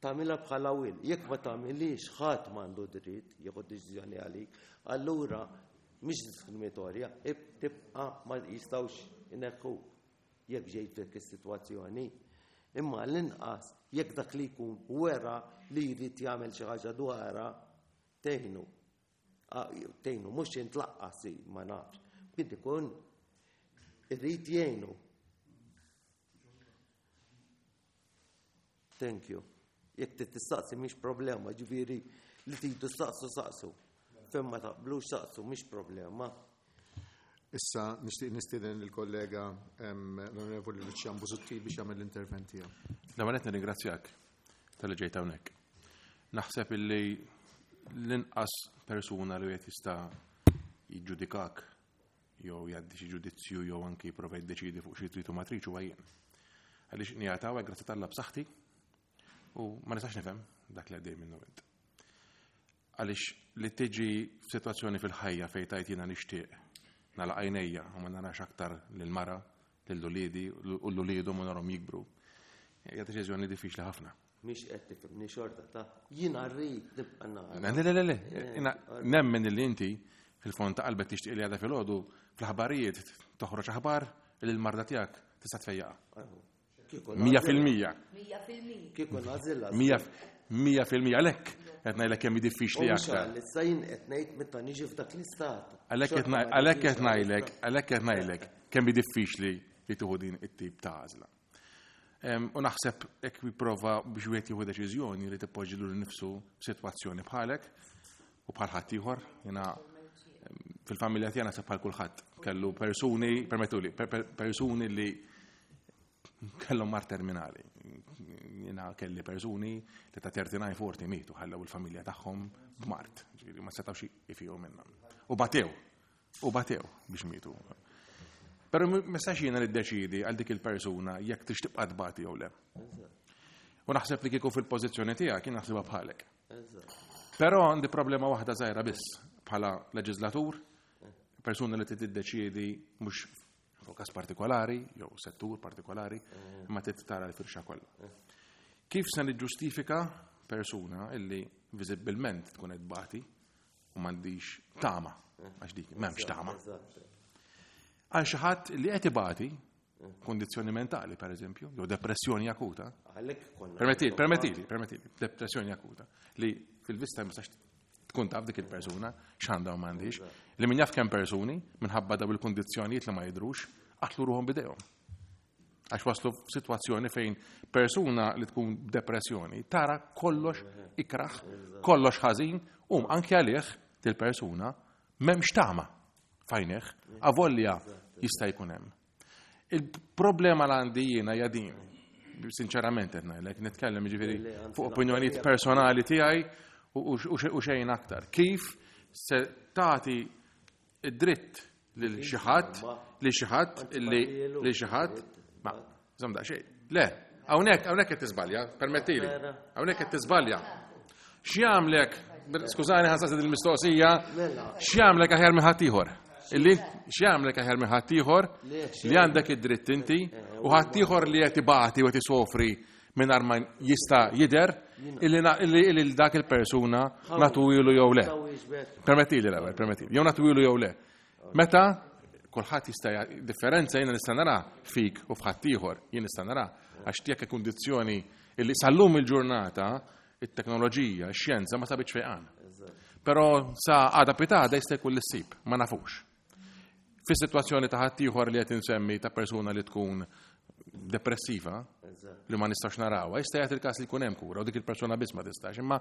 Tagħmilha bħala will. Jekk ma tagħmilix ħadd m'għandu dritt jieħu deċiżjoni għalik, allura mhix diskriminatorja, tibqa' ma jistgħux ineħħuk jekk ġejt f'dik is-sitwazzjoni. Imma l-inqas jekk dak li jkun wera li jrid jagħmel xi ħaġa dwarha tgħinu. Tgħinu mhux int laqqas ma nafx. Min ikun irrid jgħinu. Thank you. Jekk trid tistaqsi mhix problema, ġifieri li tridu saqsu saqsu. Fejn ma taqblux saqsu mhix problema. Issa nixtieq nistieden lill-kollega l-Onorevoli Lucian Busuttil biex jagħmel l-intervent tiegħu. L-ewwel qed nirringrazzjak talli ġejt hawnhekk. Naħseb illi l-inqas persuna li wieħed jista' jiġġudikak jew jgħaddi xi ġudizzju jew anki jipprova jiddeċiedi fuq xi trid u ma tridx huwa jien. Għaliex qiegħed hawnhekk grazzi t'Alla b'saħħti u ma nistax nifhem dak li għaddej minnu int. Għaliex li tiġi f'sitwazzjoni fil-ħajja fejn tajt jiena nixtieq nagħlaq għajnejja u ma narax aktar lil mara, lil uliedi u l-uliedhom u narhom jikbru. Hija deċiżjoni diffiċli ħafna. Mhix qed tifhimni xorta ta' jiena rrid nibqa' nara. Le, le, le, le, nemmen li inti fil-fond ta' qalbek tixtieq li għadha filgħodu fl-aħbarijiet toħroġ aħbar li l-marda tiegħek tista' tfejjaqha. 100%. Kieku nagħżilha. 100% għalhekk qed ngħidlek kemm hi diffiċli aktar. Issa jien qed ngħid meta niġi f'dak l-istat. Għalhekk qed ngħidlek, għalhekk qed ngħidlek kemm hi diffiċli li tieħu din it-tip ta' għażla. U naħseb hekk jipprova biex wieħed jieħu deċiżjoni li tippoġġi lil nifsu f'sitwazzjoni bħalek u bħal ħaddieħor, jiena fil-familja tiegħi naħseb bħal kulħadd kellu persuni, permettuli, persuni li kellhom mar terminali. Jiena kelli persuni li ta' 39 40 mietu ħallew il-familja tagħhom b'mart, ġifieri ma setgħux ifiju minnhom. U batew, u batew biex mietu. Però ma nistax jiena niddeċiedi għal dik il-persuna jekk tix tibqa' tbati jew le. U naħseb li kieku fil-pożizzjoni tiegħek jien naħsibha bħalek. Però għandi problema waħda żgħira biss bħala leġislatur, persuna li tiddeċiedi mhux fuq każ partikolari jew settur partikolari, imma trid tara l-firxa kollha. Kif se niġġustifika persuna illi viżibbilment tkun qed tbati u m'għandix tama, għax dik m'hemmx tama. Għal xi ħadd li qed ibati kondizzjoni mentali, per eżempju, jew depressjoni akuta. Permettili, permettili, permettili, depressjoni akuta li fil-vista ma tistax tkun taf dik il-persuna x'għandha u m'għandix, li min jaf kemm persuni minħabba daw il-kundizzjonijiet li ma jidhrux qatlu ruħhom b'idejhom. Għax waslu f'sitwazzjoni fejn persuna li tkun depressjoni tara kollox ikraħ, kollox ħażin, u anke għalih dil-persuna m'hemmx tama fajneħ, avolja jista' jkun hemm. Il-problema l għandi jiena hija din, sinċerament qed ngħidlek, nitkellem jiġifieri fuq opinjonijiet personali tiegħi u xejn aktar. Kif se tagħti id-dritt lil xi ħadd li xi ħadd li li xi ħadd ma żomm daqsxejn. Le, hawnhekk hawnhekk qed tiżbalja, permettili. Hawnhekk qed tiżbalja. X'jagħmlek, skużani ħansaqsi din il-mistoqsija, x'jagħmlek aħjar minn ħaddieħor? Illi x'jagħmlek aħjar minn ħaddieħor li għandek id-dritt inti u ħaddieħor li qed ibati u qed isofri mingħajr ma jista' jidher illi dak il-persuna nagħtuhielu jew le. Permettili l-ewwel, permettili. Jew nagħtuhielu jew le. Meta kulħadd jista' differenza jiena nista' nara fik u f'ħaddieħor, jien nista' nara għax tiegħek kundizzjoni illi sal-lum il-ġurnata it-teknoloġija, x-xjenza ma sabitx fejqan. Però sa għada pitada jista' jkun l-issib, ma nafux. Fis-sitwazzjoni ta' ħaddieħor li qed insemmi ta' persuna li tkun depressiva, li ma nistax narawha, jista' jagħti il-każ li jkun hemm kura u dik il-persuna biss ma tistax, imma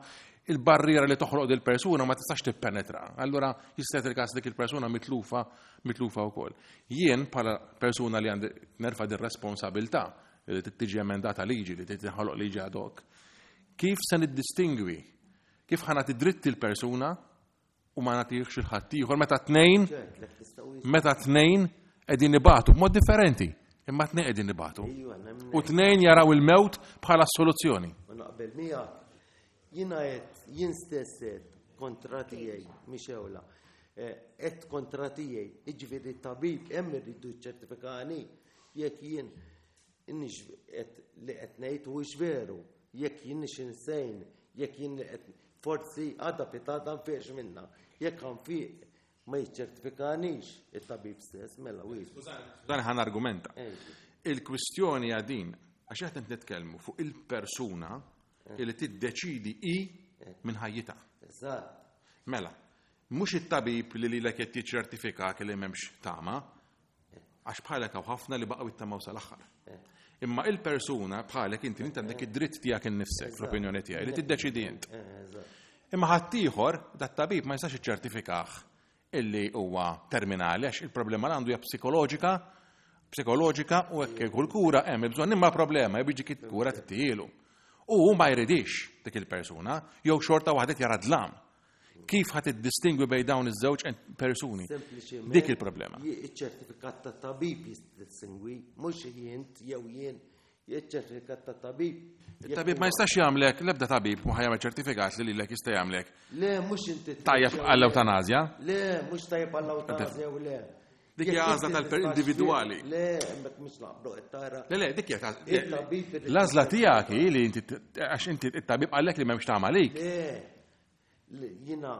il-barriera li toħloq dil persuna ma tistax tippenetra. Allura jista' jagħti il-każ dik il-persuna mitlufa mitlufa wkoll. Jien bħala persuna li għandi nerfa' din responsabilità li tiġi emendata liġi li tinħoloq liġi ad hoc, kif se niddistingwi kif ħa nagħti dritt il-persuna u ma nagħtihx il ħaddieħor meta tnejn meta tnejn qegħdin ibatu b'mod differenti, imma tnejn qegħdin ibatu. U tnejn jaraw il-mewt bħala soluzzjoni. U naqbel miegħek. Jiena qed jien stess qed kontra tiegħi mhix ewla. Qed kontra tiegħi, jiġifieri tabib hemm irridu ċċertifikani jekk jien Inix qed li qed ngħid huwiex veru, jekk jien nix insane, jekk jien li qed forsi għada pitada nfiqx minna. Jekk nfiq ma jiċċertifikanix it-tabib stess, mela wiex. Dan ħan argumenta. Il-kwistjoni hija din, għax qed nitkellmu fuq il-persuna li tiddeċidi hi minn ħajjitha. Eżatt. Mela, mhux it-tabib li lilek qed jiċċertifikak li m'hemmx tama, Għax bħalek hawn ħafna li baqgħu jittamaw sal-aħħar. Imma il-persuna bħalek inti inti għandek id-dritt tiegħek innifsek fl-opinjoni tiegħi li tiddeċidi int. Imma ħaddieħor dat-tabib ma jistax iċċertifikah illi huwa terminali għax il-problema li għandu hija psikoloġika, psikoloġika u hekk kull kura hemm il-bżonn imma problema jew jiġi kura tittijielu. U hu ma jridix dik il-persuna jew xorta waħda jara dlam. Kif ħa tiddistingwi bejn dawn iż-żewġ persuni? Dik il-problema. Iċ-ċertifikat ta' tabib jistingwi, mhux jint jew jien, iċ-ċertifikat ta' tabib. Il-tabib ma jistax jagħmlek, l-ebda tabib ma ħajamel ċertifikat li lilek jista' jagħmlek. Le, mhux inti. Tajjeb għall-eutanazja. Le, mhux tajjeb għall-eutanazja u le. Dik hija għażla tal-individwali. Le, hemmhekk mhux naqblu qed tara. Le, le, dik hija l-għażla tiegħek hi li inti għax inti it-tabib qallek li m'hemmx tagħmel għalik. Le, jiena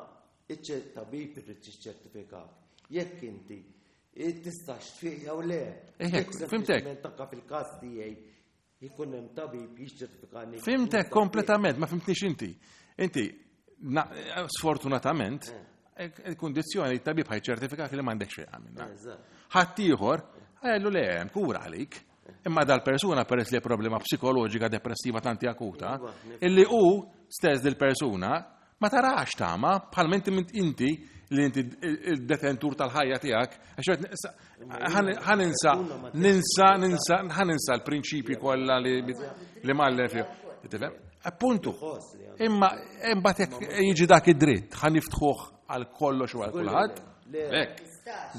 iċ-tabib irid jiċċertifikak. Jekk inti tistax tfiq jew le. Fimtek. Anka fil-każ tiegħi jkun hemm tabib jiċċertifikani. Fimtek kompletament, ma fimtnix inti. Inti, sfortunatament, eh. il-kundizzjoni it-tabib ħajċertifikak li m'għandek xejn minna. Ħaddieħor, għallu le hemm kura għalik. Imma dal-persuna peress li problema psikoloġika depressiva tanti akuta, illi hu stess dil-persuna Ma tarax tama, bħal inti inti li inti il-detentur tal-ħajja tiegħek, għax ninsa, ninsa, ninsa, ħaninsa l-prinċipji kollha li mallef fih. Tifhem? Appuntu. Imma imbagħad jekk jiġi dak id-dritt, ħa niftħuh għal kollox u għal kulħadd. Hekk.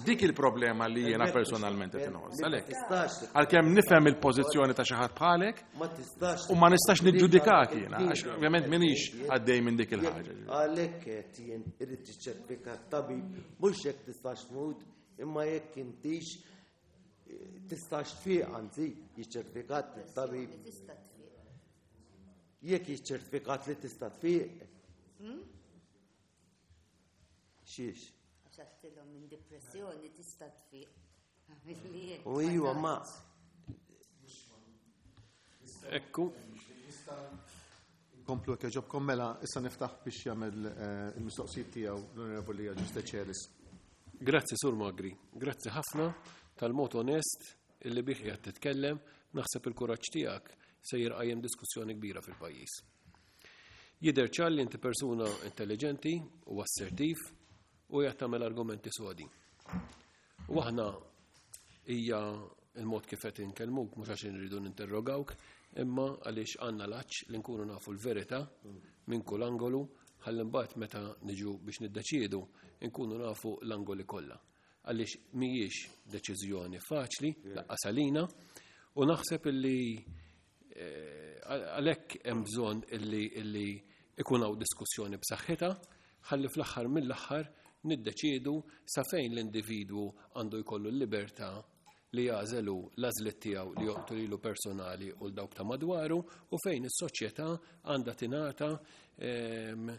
Dik il-problema li jiena personalment qed inħoss. Għalhekk. Għalkemm nifhem il-pożizzjoni ta' xi ħadd bħalek, U ma nistax niġġudikak jiena, għax ovvjament minix għaddej minn dik il-ħaġa. Għalhekk qed jien irid tiċċertifika tabib mhux jekk tistax tmut, imma jekk intix eh, tistax tfiq anzi jiċċertifikat tabib. Jekk jiċċertifikat li tista' tfiq. Hmm? Xiex? Għax għattilhom minn depressjoni tista' tfiq. U iwa ma. Ekku. Komplu jekk jogħġobkom mela issa niftaħ biex jagħmel eh, il-mistoqsijiet tiegħu l-Onorevoli Agius Decelis. Grazzi Sur Magri, grazzi ħafna tal-mod onest illi bih qiegħed titkellem. Naħseb il-kuraġġ tiegħek sejjer qajjem diskussjoni kbira fil-pajjiż. Jidher ċar li inti persuna intelligenti u assertiv u qed tagħmel argumenti sodi. U aħna hija il-mod kif qed inkellmuk mhux għax inridu ninterrogawk, imma għaliex għandna l-għatx li nkunu nafu l-verità minn kull angolu ħalli mbagħad meta niġu biex niddeċiedu nkunu nafu l-angoli kollha. Għaliex mhijiex deċiżjoni faċli laqqas għalina u naħseb illi eh, għalhekk hemm bżonn illi illi ikun hawn diskussjoni b'saħħitha ħalli fl-aħħar mill-aħħar niddeċiedu sa fejn l-individwu għandu jkollu l-libertà li jagħżel hu l-għażliet tiegħu li joqtu lilu personali u l dawk ta' madwaru u fejn is-soċjetà għandha tingħata ehm,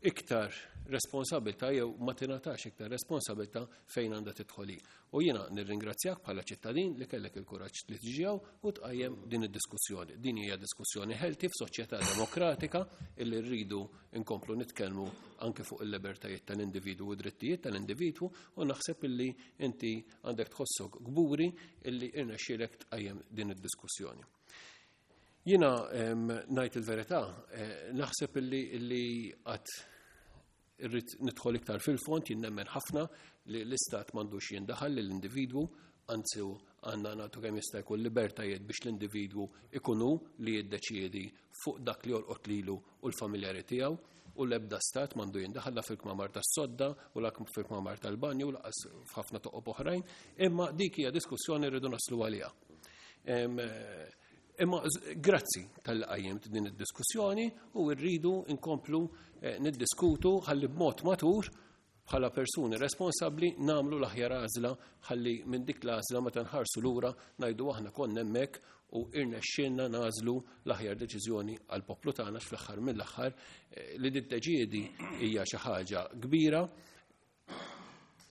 iktar responsabilità jew ma tingħatax iktar responsabilità fejn għandha tidħol hi. U jiena nirringrazzjak bħala ċittadin li kellek il-kuraġġ li tiġi hawn u tqajjem din id-diskussjoni. Din hija diskussjoni healthy f'soċjetà demokratika illi rridu nkomplu nitkellmu anke fuq il-libertajiet tal-individwu u drittijiet tal-individwu u naħseb illi inti għandek tħossok kburi illi irnexxielek tqajjem din id-diskussjoni. Jiena ngħid il-verità, eh, naħseb illi illi qatt irrid nidħol iktar fil-fond, jien nemmen ħafna li l-istat m'għandux jindaħal lill-individwu, anzi għandna nagħtu kemm jista' jkun libertajiet biex l-individwu ikunu li jiddeċiedi fuq dak li jolqot lilu u l-familjari tiegħu u l-ebda stat m'għandu jindaħal la fil-kmamar tas-sodda u la fil-kmamar tal-banju u laqas f'ħafna toqob oħrajn, imma dik hija diskussjoni rridu naslu għaliha. Imma grazzi tal-li qajjimt din id-diskussjoni u rridu nkomplu eh, niddiskutu ħalli b'mod matur bħala persuni responsabbli nagħmlu l-aħjar għażla ħalli minn dik l-għażla meta nħarsu lura ngħidu aħna konna hemmhekk u irnexxielna nagħżlu l-aħjar deċiżjoni għall poplu tagħna fl-aħħar mill-aħħar eh, li diddeċiedi hija xi ħaġa kbira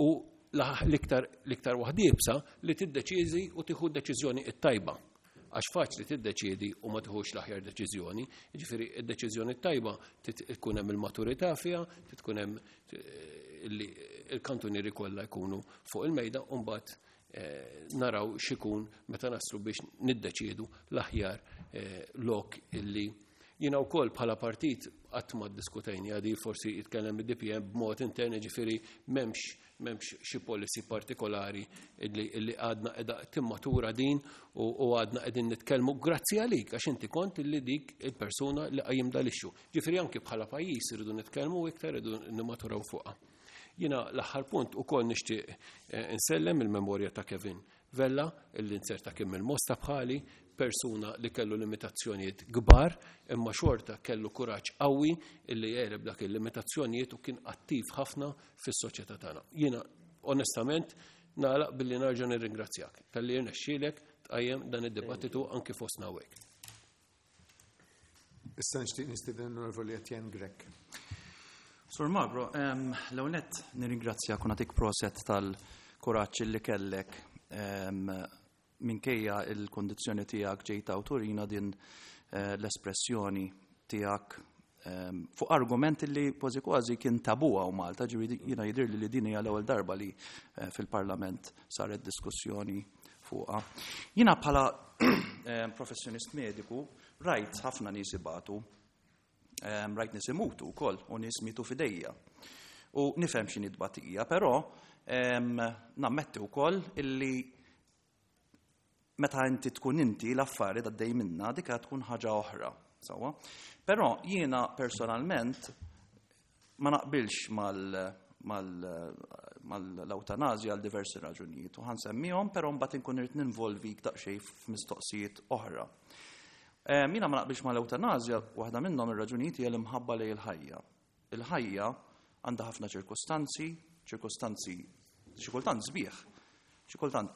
u l-iktar l-iktar waħda iebsa li tiddeċiedi u tieħu deċiżjoni t-tajba. Għax faċli tiddeċiedi u ma tieħux l-aħjar deċiżjoni. Jiġifieri id-deċiżjoni t-tajba tkun hemm il-maturità fiha, tkun hemm eh, il-kantunieri kollha jkunu fuq il-mejda u mbagħad eh, naraw x'ikun meta naslu biex niddeċiedu l-aħjar eh, lok illi Jiena wkoll bħala partit qatt ma ddiskutejni għadi forsi jitkellem id-DPM b'mod intern ġifieri m'hemmx m'hemmx xi policy partikolari illi għadna qiegħda timmatura din u għadna qegħdin nitkellmu grazzi għalik għax inti kont illi dik il-persuna li qajjim dal-issue. Ġifieri anki bħala pajjiż irridu nitkellmu iktar irridu nimmaturaw fuqha. Jiena l-aħħar punt ukoll nixtieq eh, insellem il-memorja ta' Kevin Vella, illi nzerta kien mill-Mosta bħali, persuna li kellu limitazzjonijiet kbar, imma xorta kellu kuraġġ qawwi illi jegħleb dak il-limitazzjonijiet u kien attiv ħafna fis-soċjetà tagħna. Jiena onestament nagħlaq billi narġa' nirringrazzjak talli rnexxielek tqajjem dan id-dibattitu anki fostna hawnhekk. Issa nixtieq nistieden l-Onorevoli Etienne Grech. Sur Magro, l-ewwel nett nirringrazzjak u nagħtik proset tal-kuraġġ li kellek minkejja il-kondizzjoni tiegħek ġejt awturina din eh, l-espressjoni tiegħek fuq argument li kważi kważi kien tabu hawn Malta, ġifieri jiena jidhirli li din hija l-ewwel darba li eh, fil-Parlament saret diskussjoni fuqha. Jiena bħala eh, professjonist mediku rajt ħafna nies ibatu, eh, rajt nies imutu wkoll u nies mitu fidejja. U nifhem x'inhi tbatija, però nammetti wkoll illi meta inti tkun inti l-affari għaddej minna dika tkun ħaġa oħra. Sawa? Però jiena personalment ma naqbilx mal-ewtanazja għal diversi raġunijiet u ħansemmihom, però mbagħad inkun irid ninvolvik daqsxejn f'mistoqsijiet oħra. Jiena ma naqbilx mal-ewtanazja, waħda minnhom ir-raġunijiet hija l-imħabba lejn il-ħajja. Il-ħajja għandha ħafna ċirkustanzi, ċirkustanzi xi kultant sbieħ, xi kultant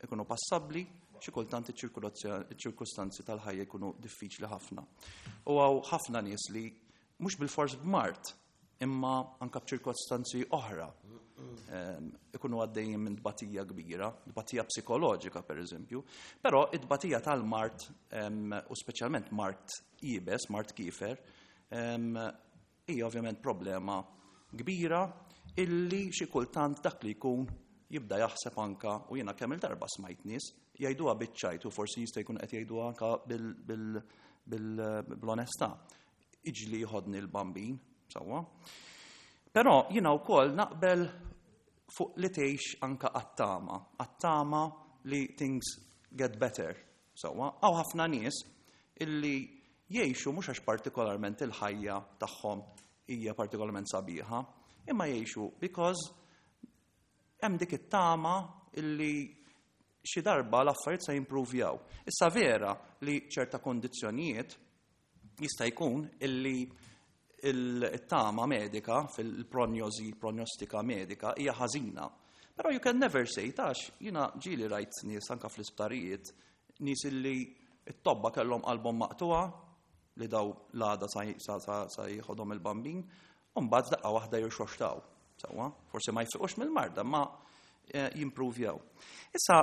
ikunu passabbli, xi kultant iċ-ċirkustanzi tal-ħajja jkunu diffiċli ħafna. U hawn ħafna nies li mhux bilfors b'mard, imma anka b'ċirkostanzi oħra ehm, ikunu għaddejjin minn tbatija kbira, tbatija psikoloġika per eżempju, però it-tbatija tal-mard ehm, u speċjalment mard iebes, mard kiefer, ehm, hija ovvjament problema kbira illi xi kultant dak li jkun jibda jaħseb anka u jiena kemm il-darba smajt nies jgħiduha biċ-ċajt u forsi jista' jkun qed jgħiduha anka bl-onestà. Iġli jħodni l-bambin, sewwa. Però jiena wkoll naqbel fuq li tgħix anka għat-tama, għat-tama li things get better. Sewwa, hawn ħafna nies illi jgħixu mhux għax partikolarment il-ħajja tagħhom hija partikolarment sabiħa, imma jgħixu because hemm dik it-tama illi xi darba l-affarijiet se jimpruvjaw. Issa vera li ċerta kondizzjonijiet jista' jkun illi il-tama medika fil-prognosi, prognostika medika hija ħażina. Però you can never say, tax, jiena ġieli rajt nies anka fl-isptarijiet, nies illi it-tobba kellhom qalbhom maqtuha li daw l-għada sa jieħodhom il-bambin, u mbagħad daqqa waħda jirxoxtaw. Sewwa, forsi ma jfiqux mill-marda, ma jimpruvjaw. Issa,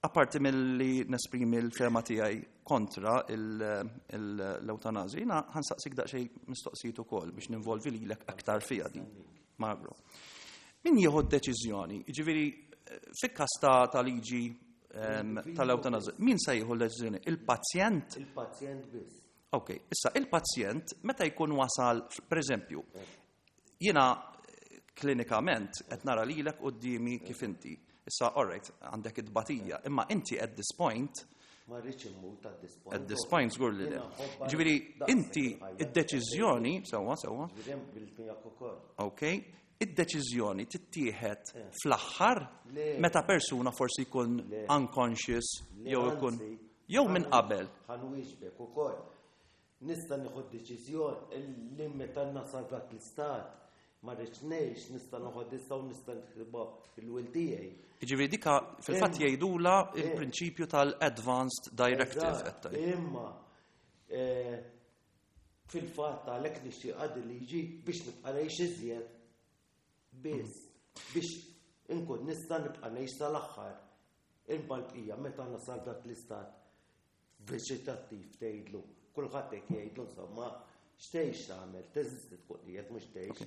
apparti mill-li nesprimi l-fehma tiegħi kontra l-eutanazja, jiena ħa nsaqsik daqsxejn mistoqsijiet ukoll biex ninvolvi lilek aktar fija din. Magro. Min jieħu d-deċiżjoni? Jiġifieri, fil-każ ta' liġi tal-eutanazja, min se jieħu l-deċiżjoni? Il-pazjent? Il-pazjent biss. Ok, issa il-pazjent meta jkun wasal, per eżempju, jiena klinikament qed nara lilek quddiemi kif inti. Issa, all right, għandek id-batija, imma inti at this point Ma rridx immut at this point. At this point, żgur li le. Jiena nħobbha Ġifieri, daqshekk inti il-ħajja. id-deċiżjoni, sewwa, sewwa. Ġifieri hemm bil-miegħek ukoll. Ok, id-deċiżjoni tittieħed fl-aħħar Le. meta persuna forsi jkun Le. unconscious Le, jew ikun anzi, jew minn qabel. Ħa nwieġbek ukoll. Nista' nieħu deċiżjoni li meta nasal dak l-istat ma rridx ngħix, nista' noħod issa u nista' niktibha il-will tiegħi. Jiġifieri dika fil-fatt jgħidula il-prinċipju tal-advanced directive Eżatt, qed tgħid. Imma fil-fatt għalhekk nixtieq għad liġi biex nibqa' ngħix iżjed biss biex inkun nista' nibqa' ngħix sal-aħħar. Imma l-bqija meta nasal dak l-istat veġetattiv tgħidlu, kulħadd hekk jgħidlu insomma, x'tgħix tagħmel, teżisti tkun qiegħed mhux tgħix.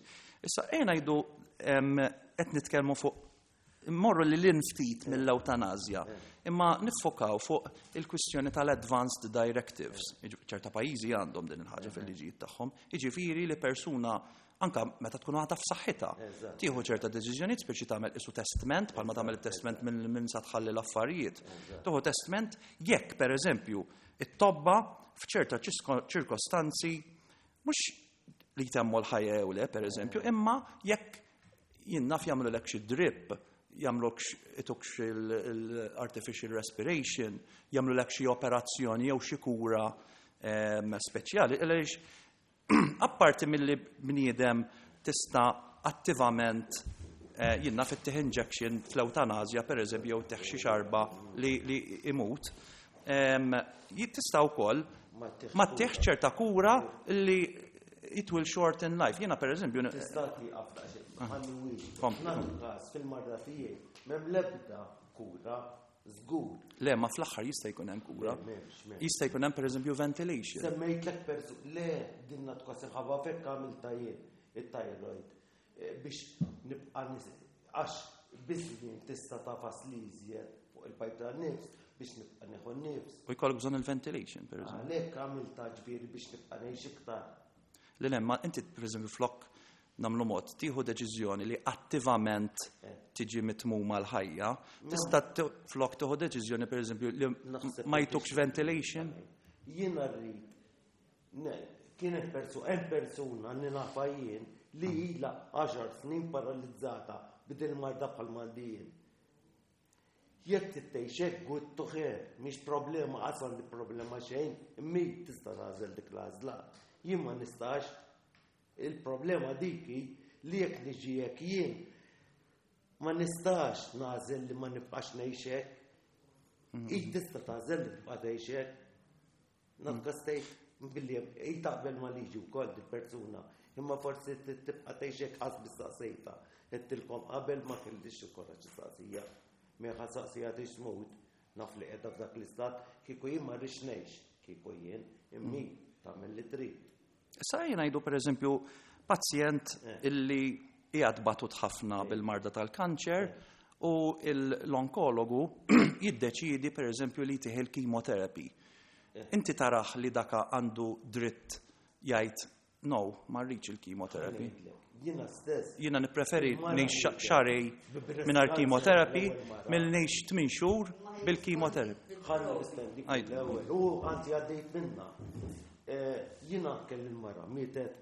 Issa ejja ngħidu qed nitkellmu fuq immorru li lil ftit mill-eutanazja, imma niffokaw fuq il-kwistjoni tal-advanced directives. Ċerta pajjiżi għandhom din il-ħaġa fil-liġijiet tagħhom. Jiġifieri li persuna anka meta tkun għadha f'saħħitha, tieħu ċerta deċiżjonijiet speċi tagħmel isu testament, bħalma tagħmel testament minn sa tħalli l-affarijiet. Tieħu testament jekk pereżempju it-tobba f'ċerta ċirkostanzi mhux li jtemmu l-ħajja jew le, pereżempju, imma jekk jien naf jagħmlu lek xi drip, jagħmluk ituk l-artificial respiration, jagħmlu lek xi operazzjoni jew xi kura speċjali, għaliex apparti milli bniedem tista' attivament jien naf ittih injection fl-eutanazja, per eżempju, jew tih xi xarba li imut, tista' wkoll ma tih ċerta kura li it will shorten life. Jiena per eżempju Tista' tieqaf daqsxejn, ħalli wieġeb. Kompli. Nagħtu każ fil-marda tiegħi m'hemm l-ebda kura żgur. Le, ma fl-aħħar jista' jkun hemm kura. Le, m'hemmx, m'hemmx. Jista' jkun hemm pereżempju ventilation. Semmejtlek persu, le, din nagħtu każ inħabba fekk għamilta jien it-thyroid biex nibqa' għax biż-żmien tista' tafas li iżjed fuq il-pajp tan-nifs biex nibqa' nieħu n-nifs. U jkollok bżonn il-ventilation, pereżempju. Għalhekk għamilta ġifieri biex nibqa' ngħix iktar. Le, le, ma inti pereżempju flok nagħmlu mod, tieħu deċiżjoni li attivament tiġi mitmuma l-ħajja, tista' flok tieħu deċiżjoni pereżempju li Naħseb ma li jtukx tixtieq ventilation. Jiena rrid, ne, kienet hemm persuna li nafa jien li ilha 10 snin paralizzata bidil marda bħal Maldijin. Jekk tgħix hekk good to her, mhix problema, qas għandi problema xejn, imma tista' tagħżel dik l-għażla. Jien ma nistax. Il-problema dik hi li jekk niġi hekk jien ma nistax nagħżel li ma nibqax ngħix hekk. Hi tista' tagħżel li tibqa' tgħix hekk. Nafka stejt billi hi taqbel ma liġi wkoll dil-persuna, imma forsi tibqa' tgħix hekk qas bis-saqsejta. Għedtilkom qabel ma kellix il-kuraġġ saqsija. Mela saqsija tgħix tmut, naf li qiegħda f'dak l-istat, kieku jien ma rridx ngħix, kieku jien immi tagħmel li trid. Issa jien ngħidu pereżempju pazjent illi qiegħed batut ħafna bil-marda tal-kanċer. U l-onkologu jiddeċiedi pereżempju li jtih il-chemotherapy. Inti tarah li daka għandu dritt jgħid no, ma rridx il-chemotherapy. Jiena stess. Jiena nippreferi ngħix xarej mingħajr chemotherapy milli ngħix tmien xhur bil-chemotherapy. Ħalli nistendik l-ewwel. U anzi għaddejt minna. Eh, jiena kelli l-mara mietet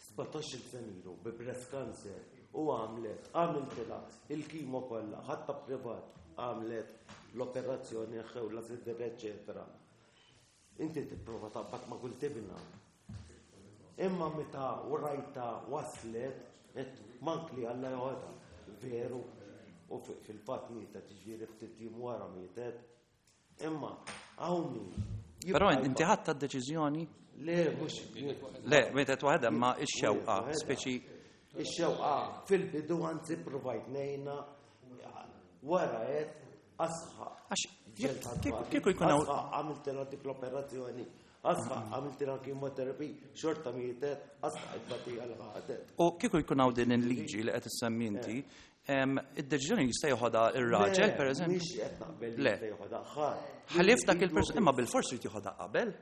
17-il sena ilu bi breast cancer u għamlet, għamiltilha il-kimo kollha, ħatta privat għamlet l-operazzjoni ħewla sider, eccetera. Inti tipprova taqbad ma' kull tibna. Imma meta rajta waslet, qed mank li Alla joħodha. Veru, u fil-fatt mietet, ġifieri ftit jiem wara mietet. Imma hawn min. Però inti ħadd deċiżjoni? Le, mhux. Le, mietet waħedha ma x-xewqa, speċi. Ix-xewqa fil-bidu anzi provajt ngħinha wara qed asħa. Għax kieku jkun hawn. Għamiltilha dik l-operazzjoni, asħa għamiltilha chemotherapy, xorta mietet, asħa it-tbatija li ħadet. U kieku jkun hawn din il-liġi li qed issemmi inti, id-deċiżjoni jista' joħodha ir-raġel, pereżempju. Mhix qed naqbel li jista' joħodha ħadd. Ħlief dak il-persuna, imma bilfors irid joħodha qabel.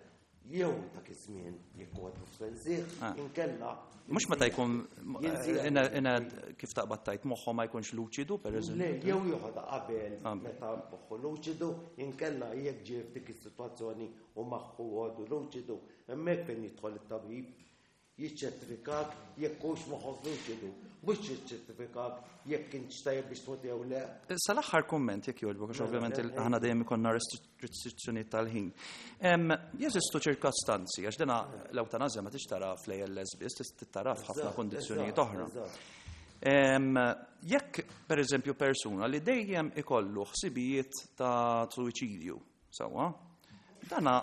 Jew dak iż-żmien jekk huwa f'sensih, ah. inkella. Mhux meta jkun kif taqbad tajt moħħu ma jkunx luċidu, pereżempju. Le, jew joħodha qabel meta moħħu luċidu, inkella jekk ġie f'dik is-sitwazzjoni u moħħu għadu luċidu, hemmhekk fejn jidħol it-tabib Jiċċertifikak jekk hux moħħok luċidu, mhux jiċċertifikak jekk intx tajjeb biex tmut jew le. Sal-aħħar kumment jekk jogħġbok, għax ovvjament aħna dejjem ikollna restrizzjonijiet tal-ħin. Jeżistu ċirkostanzi, għax dina l-ewtanazja ma tix tara fl-ALS biss, tara f'ħafna kondizzjonijiet oħra. Jekk, per eżempju, persuna li dejjem ikollu ħsibijiet ta' suwiċidju, Sewwa. Dana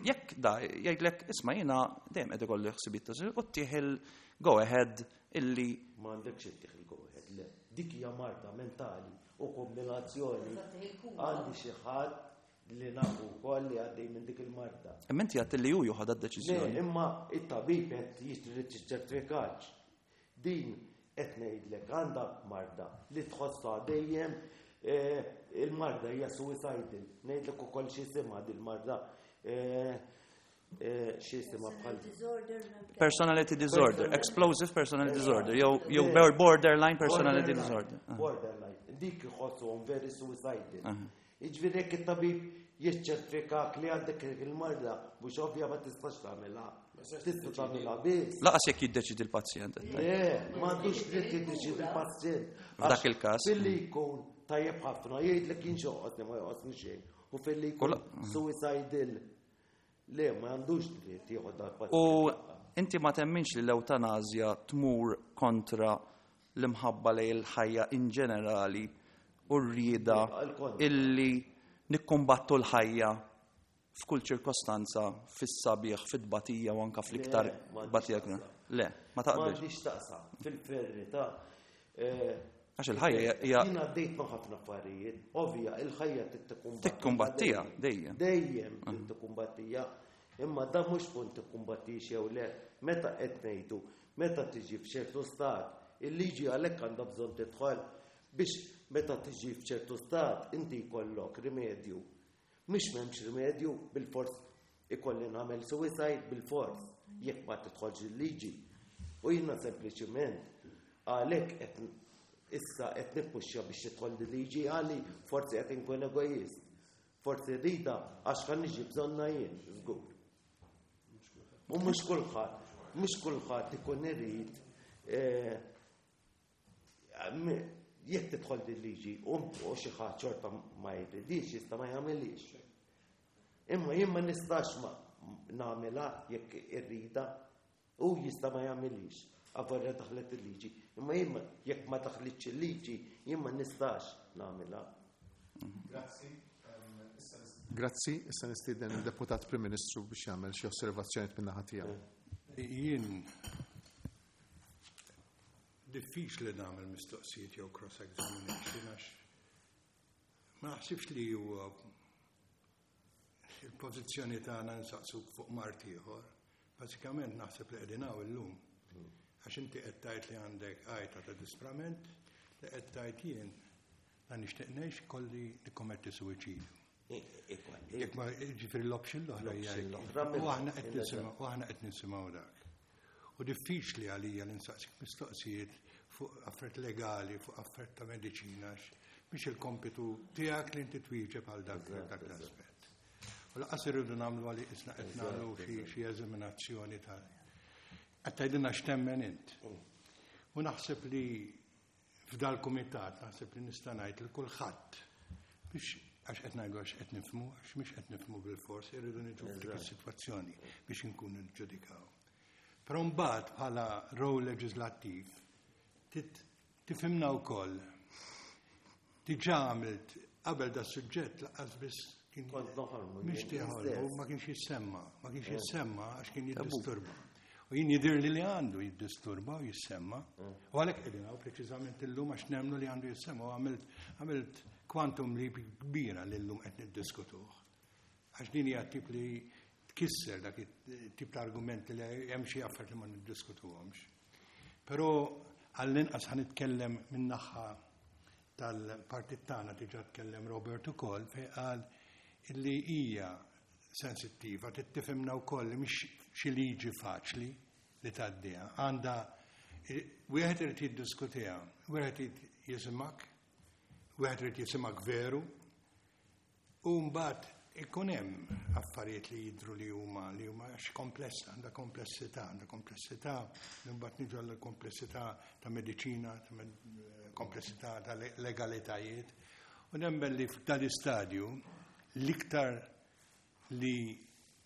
jekk da jgħidlek isma' jiena dejjem qed ikolli ħsibijiet ta' u ttieħ il-go ahead illi M'għandekx ittieħ il-go ahead, le. Dik hija marda mentali u kombinazzjoni għandi xi ħadd li nafu wkoll li għaddej minn dik il-marda. Imma inti għedt li hu joħodha d-deċiżjoni. Le, imma it-tabib qed jrid jiċċertifikax. Din qed ngħidlek għandha marda li tħossha dejjem eh, il-marda hija suicidal. Ngħidlek ukoll x'isimha dil-marda eh, eh, x'isimha bħal Personality disorder, explosive personality disorder, jew borderline personality disorder. Ah. Borderline. Dik iħossuhom very suicidal. Ah. Jiġifieri jekk it-tabib jiċċertifikak li għandek il-marda, mhux ovvja ma tistax tagħmilha. Tista' tagħmilha biss. Laqas jekk jiddeċidi l-pazjent. Le, m'għandux dritt jiddeċidi l-pazjent. F'dak il-każ. Filli jkun tajjeb ħafna jgħidlek jien xoqgħodni ma joqgħodni xejn. U filli jkun suicidal. Le, ma għandux dritt jieħu dal-pazjent. U inti ma temminx li l-ewtanazja tmur kontra l-imħabba lejn il-ħajja in ġenerali u r-rieda illi nikkumbattu l-ħajja f'kull ċirkostanza, fis-sabiħ, fit-tbatija u anka fl-iktar tbatija. Le, ma taqbilx. M'għandix taqsam fil-verità. Eh, Għax il-ħajja hija. Jien għaddejt ma' ħafna affarijiet, ovvja, il-ħajja titkumbattija. Tikkumbattija, dejjem. Dejjem ah. tikkumbattija. Imma da mhux punt tikkumbattix jew le, meta qed ngħidu, meta tiġi f'ċertu stat, il-liġi għalhekk għandha bżonn tidħol biex meta tiġi f'ċertu stat inti jkollok rimedju. Mhix m'hemmx rimedju bilfors ikolli nagħmel suicide bilfors jekk ma tidħolx il-liġi. U jiena sempliċiment għalhekk qed issa qed nippuxxa biex tidħol il-liġi għali forsi qed inkun egoist. Forsi rridha għax ħa niġi bżonnha jien, żgur. U mhux kulħadd, mhux kulħadd ikun irid eh, Jekk tidħol din liġi u xi ħadd xorta ma jridix jista' ma jagħmilhiex. Imma jien ma nistax ma nagħmilha jekk irrida u jista' ma jagħmilhiex. Avolja daħlet il-liġi. Imma jien jekk ma daħlitx il-liġi jien ma nistax nagħmilha. Grazzi. Grazzi, issa nistieden il-Deputat Prim Ministru biex jagħmel xi osservazzjonijiet min-naħa tiegħu. Jien Diffiċli nagħmel mistoqsijiet jew cross-examination għax ma naħsibx li huwa il-pożizzjoni tagħna nsaqsu fuq mart ieħor. Bażikament naħseb li qegħdin hawn illum. Għax inti qed tgħid li għandek għajta ta' disprament li qed tgħid jien. La nixtieq ngħix kolli nikkommetti suwiċidju. Jekk ma ġifieri l-option l-oħra hija. U aħna qed nisimgħu u aħna qed nisimgħu dak. U diffiċli għalija li nsaqsik mistoqsijiet fuq affarijiet legali, fuq affarijiet ta' mediċina, biex il-kompitu tiegħek li inti twieġeb għal dak dak l-aspett. U laqas irridu nagħmlu għalli isna qed nagħmlu xi eżaminazzjoni ta' qed tgħidilna x'temmen int. U naħseb li F'dal-kumitat naħseb li nista' ngħid lil kulħadd biex għax qed ngħidu għax qed nifhmu, għax mhix qed nifhmu bilfors, irridu niġu f'dik is-sitwazzjoni biex inkunu niġġudikaw. Però mbagħad bħala rol leġislattiv tifhimna wkoll diġà għamilt qabel da suġġett laqqas biss kien Kont noħolmu. Mhix tiħolmu, ma kienx jissemma, ma kienx eh. jissemma għax kien jiddisturba. U jien jidhirli li għandu jiddisturba u jissemma. Eh. U għalhekk qegħdin hawn preċiżament illum għax nemmnu li għandu jissemma u għamilt għamilt kwantum li kbira li llum qed niddiskutuh. Għax din hija tip li tkisser dak it-tip ta' argumenti li hemm xi affarijiet li ma niddiskutuhomx. Però għall-inqas ħa nitkellem min-naħa tal-partit tagħna diġà tkellem Robert ukoll fejn qal illi hija sensittiva, trid tifhimna wkoll li mhix xi liġi faċli li tgħaddiha. Għandha wieħed irid jiddiskutiha, wieħed irid jisimgħek, wieħed irid jisimgħek veru, U mbagħad ikun hemm affarijiet li jidhru li huma li huma għax komplessa, għandha komplessità, għandha komplessità li mbagħad niġu għall komplessità ta' mediċina, ta' komplessità ta' legalitajiet. U nemmen li f'dan l-istadju l-iktar li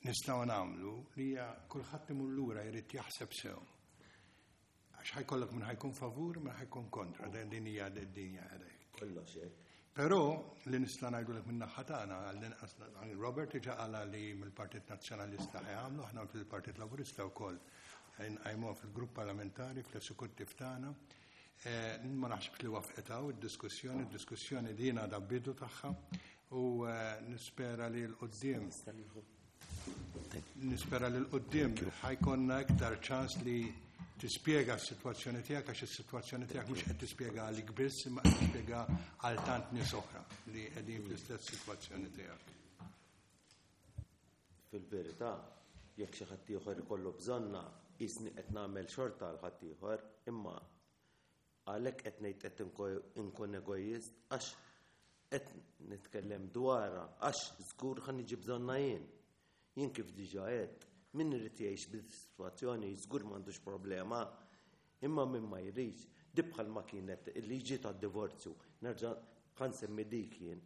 nistgħu nagħmlu li hija kulħadd imur lura jrid jaħseb sew. Għax ħajkollok minn ħajkun favur, minn ħajkun kontra, din hija d-dinja għalek. Kollox hekk. Però li nista' ngħidulek minn naħa tagħna għall-inqas Robert diġà qala li mill-Partit Nazzjonalista ħajamlu, aħna fil-Partit Laburista wkoll nqajmuha fil-grupp parlamentari fl-esekuttiv tagħna. Eh, ma naħsibx li wafqet hawn id-diskussjoni, id-diskussjoni din għadha bidu tagħha u eh, nispera li l-qudiem Nispera li l-qoddim ħajkonna iktar ċans li tispjega s-sitwazzjoni tiegħek għax is-sitwazzjoni tiegħek mhux qed tispjega għalik biss imma qed tispjega għal tant nies oħra li qegħdin fl-istess sitwazzjoni tiegħek. Fil-verità, jekk xi ħadd ieħor ikollu bżonna, qisni qed nagħmel xorta għal ħadd ieħor, imma Għalhekk qed ngħid qed inkun egoist għax qed nitkellem dwarha għax żgur ħa niġi bżonnha jien. Jien kif diġà għedt, min irid jgħix bis-sitwazzjoni żgur m'għandux problema, imma min ma jridx, di bħalma kienet il-liġi tad-divorzju, nerġa' ħa nsemmi dik jien,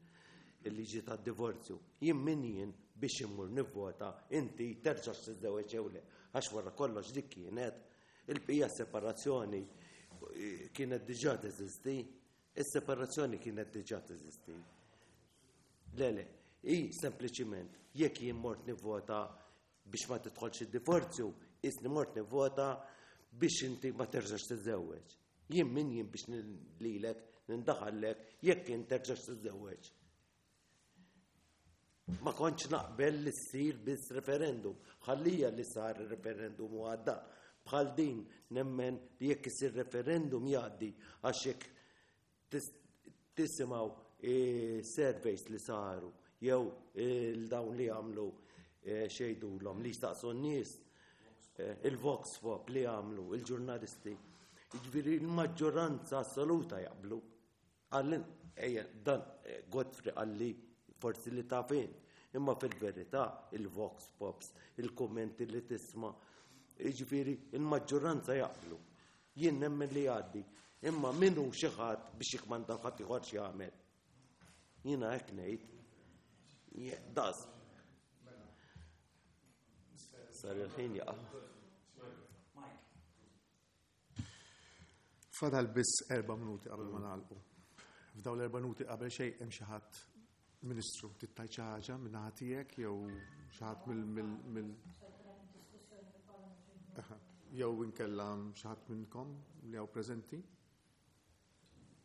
il-liġi tad-divorzju. Jien min jien biex immur nivvota inti terġax tiżżewweġ jew le, għax wara kollox dik kienet Il-bqija separazzjoni kienet diġà teżisti, is-separazzjoni kienet diġà teżisti. Le, le, hi sempliċiment jekk jien mort nivvota biex ma tidħolx id-divorzju, isni mort nivvota biex inti ma terġax tiżżewweġ. Jien min jien biex lilek nindaħallek jekk int terġax tiżżewweġ. Ma kontx naqbel li ssir biss referendum. Ħallija li sar referendum u għadda. Bħal din nemmen li jekk isir referendum jgħaddi għax jekk tisimgħu eh, surveys li saru jew eh, l-dawn li għamlu eh, xejdulhom li jistaqsu n-nies il-vox pop li għamlu il-ġurnalisti. Jiġifieri l-maġġoranza assoluta jaqblu. Qalli, ejja, dan eh, Godfrey qalli forsi li taf int, imma fil-verità il-vox pops, il-kummenti li tisma', jiġifieri il-maġġoranza jaqblu. Jien nemmen li jgħaddi, imma min hu xi ħadd biex jikmanda ħadd ieħor x'jagħmel. Jiena hekk ngħid. Das. Sar il-ħin jaqa'. Fadal biss erba' minuti qabel ma nagħlqu. F'dawn l-erba' minuti qabel xejn hemm xi ħadd Ministru, tittajt xi ħaġa minn naħa tiegħek jew xi ħadd mill mill jew inkella xi ħadd minnkom li hawn preżenti?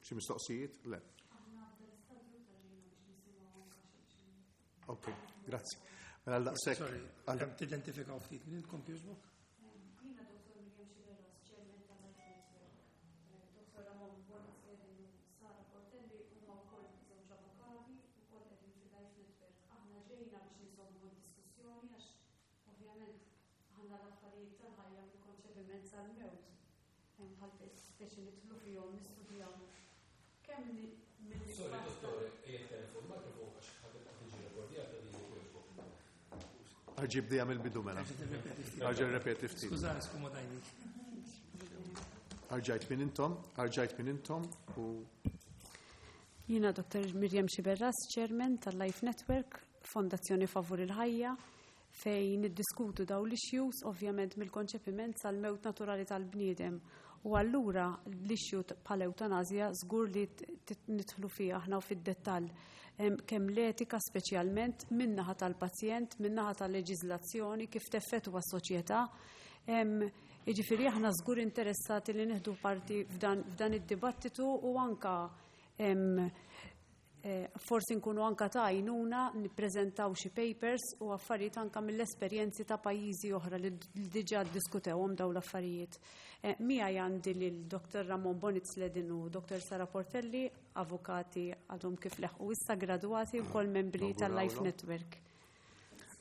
Xi mistoqsijiet? Le. Ok, grazzi. Mela għal daqshekk. Sorry, kemm tidentifikaw ftit minn intkom kieġbok? Jiena Dr. Miriam Sciberras, Chairman tal-Life Network. Dr. Ramon Borg Sera u Sara Portelli huma wkoll. id-dritt tal-ħajja mill-konċepiment sal-mewt. Bħal speċi nidħlu fihom nistudjaw kemm mill Sorry, dottore, ejja tkellem fuq il-mikrofon għax ħa tibqa' tiġi rekordjata li jogħġbok. Erġa' ibda mill-bidu mela. Erġa' rrepeti ftit. Skużani, skomodajnik. Erġa' għid min intom, erġa' għid min intom u Jiena Dr. Miriam Sciberras, Chairman tal-Life Network, Fondazzjoni Favur il-Ħajja, fejn niddiskutu daw l-issues, ovvjament mill-konċepiment sal-mewt naturali tal-bniedem. U allura l-issue bħal eutanazja żgur li nidħlu fiha aħna u fid-dettall. Kemm l-etika speċjalment min-naħa tal-pazjent, min-naħa tal-leġiżlazzjoni, kif teffettwa s-soċjetà. Jiġifieri aħna żgur interessati li nieħdu parti f'dan id-dibattitu u anka forsi nkunu anka ta' għajnuna nippreżentaw xi papers u affarijiet anka mill-esperjenzi ta' pajjiżi oħra li diġà ddiskutewhom dawn l-affarijiet. Miegħi għandi lil Dr. Ramon Bonitz Ledin u Dr. Sara Portelli, avukati għadhom kif leħqu issa gradwati wkoll membri tal-Life Network.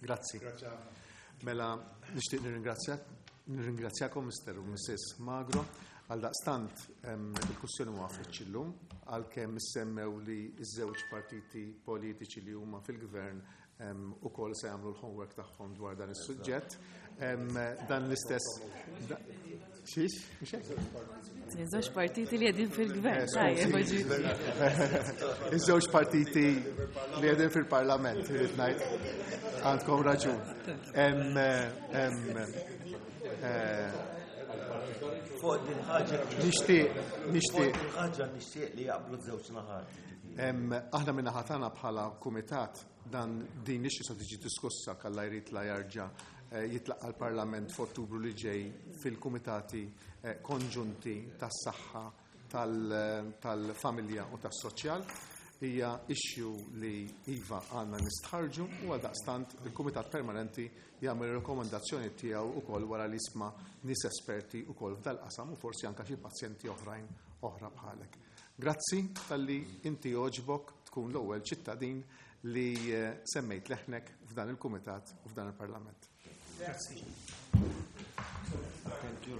Grazzi. Mela nixtieq nirringrazzjakom Mr. u Mrs. Magro. Għal daqstant il-kwistjoni ma waqfitx illum, għalkemm issemmew li ż-żewġ partiti politiċi li huma fil-gvern ukoll se jagħmlu l-homework tagħhom dwar dan is-suġġett. Dan l-istess. Xiex? Mhux hekk? Iż-żewġ partiti li qegħdin fil-gvern. Tajjeb, Iż-żewġ partiti li qegħdin fil-Parlament, irid ngħid, għandkom raġun. Fuq din ħaġa. Nixtieq, nixtieq. Fuq din ħaġa nixtieq li jaqblu żewġ naħat. Aħna minna ħatana bħala kumitat dan din l se tiġi diskussa kalla jrid la jarġa' jitlaqqa l-Parlament f'Ottubru li ġej fil-kumitati konġunti tas-saħħa tal-familja u tas-soċjal. Hija issue li iva għandna nistħarġu u għaldaqstant il-Kumitat Permanenti jagħmel rekomendazzjoni tiegħu wkoll wara li jisma' nies esperti wkoll f'dal-qasam u forsi anke xi pazjenti oħrajn oħra bħalek. Grazzi talli inti għoġbok tkun l-ewwel ċittadin li semmejt leħnek f'dan il-Kumitat u f'dan il-Parlament. Grazzi. Thank you.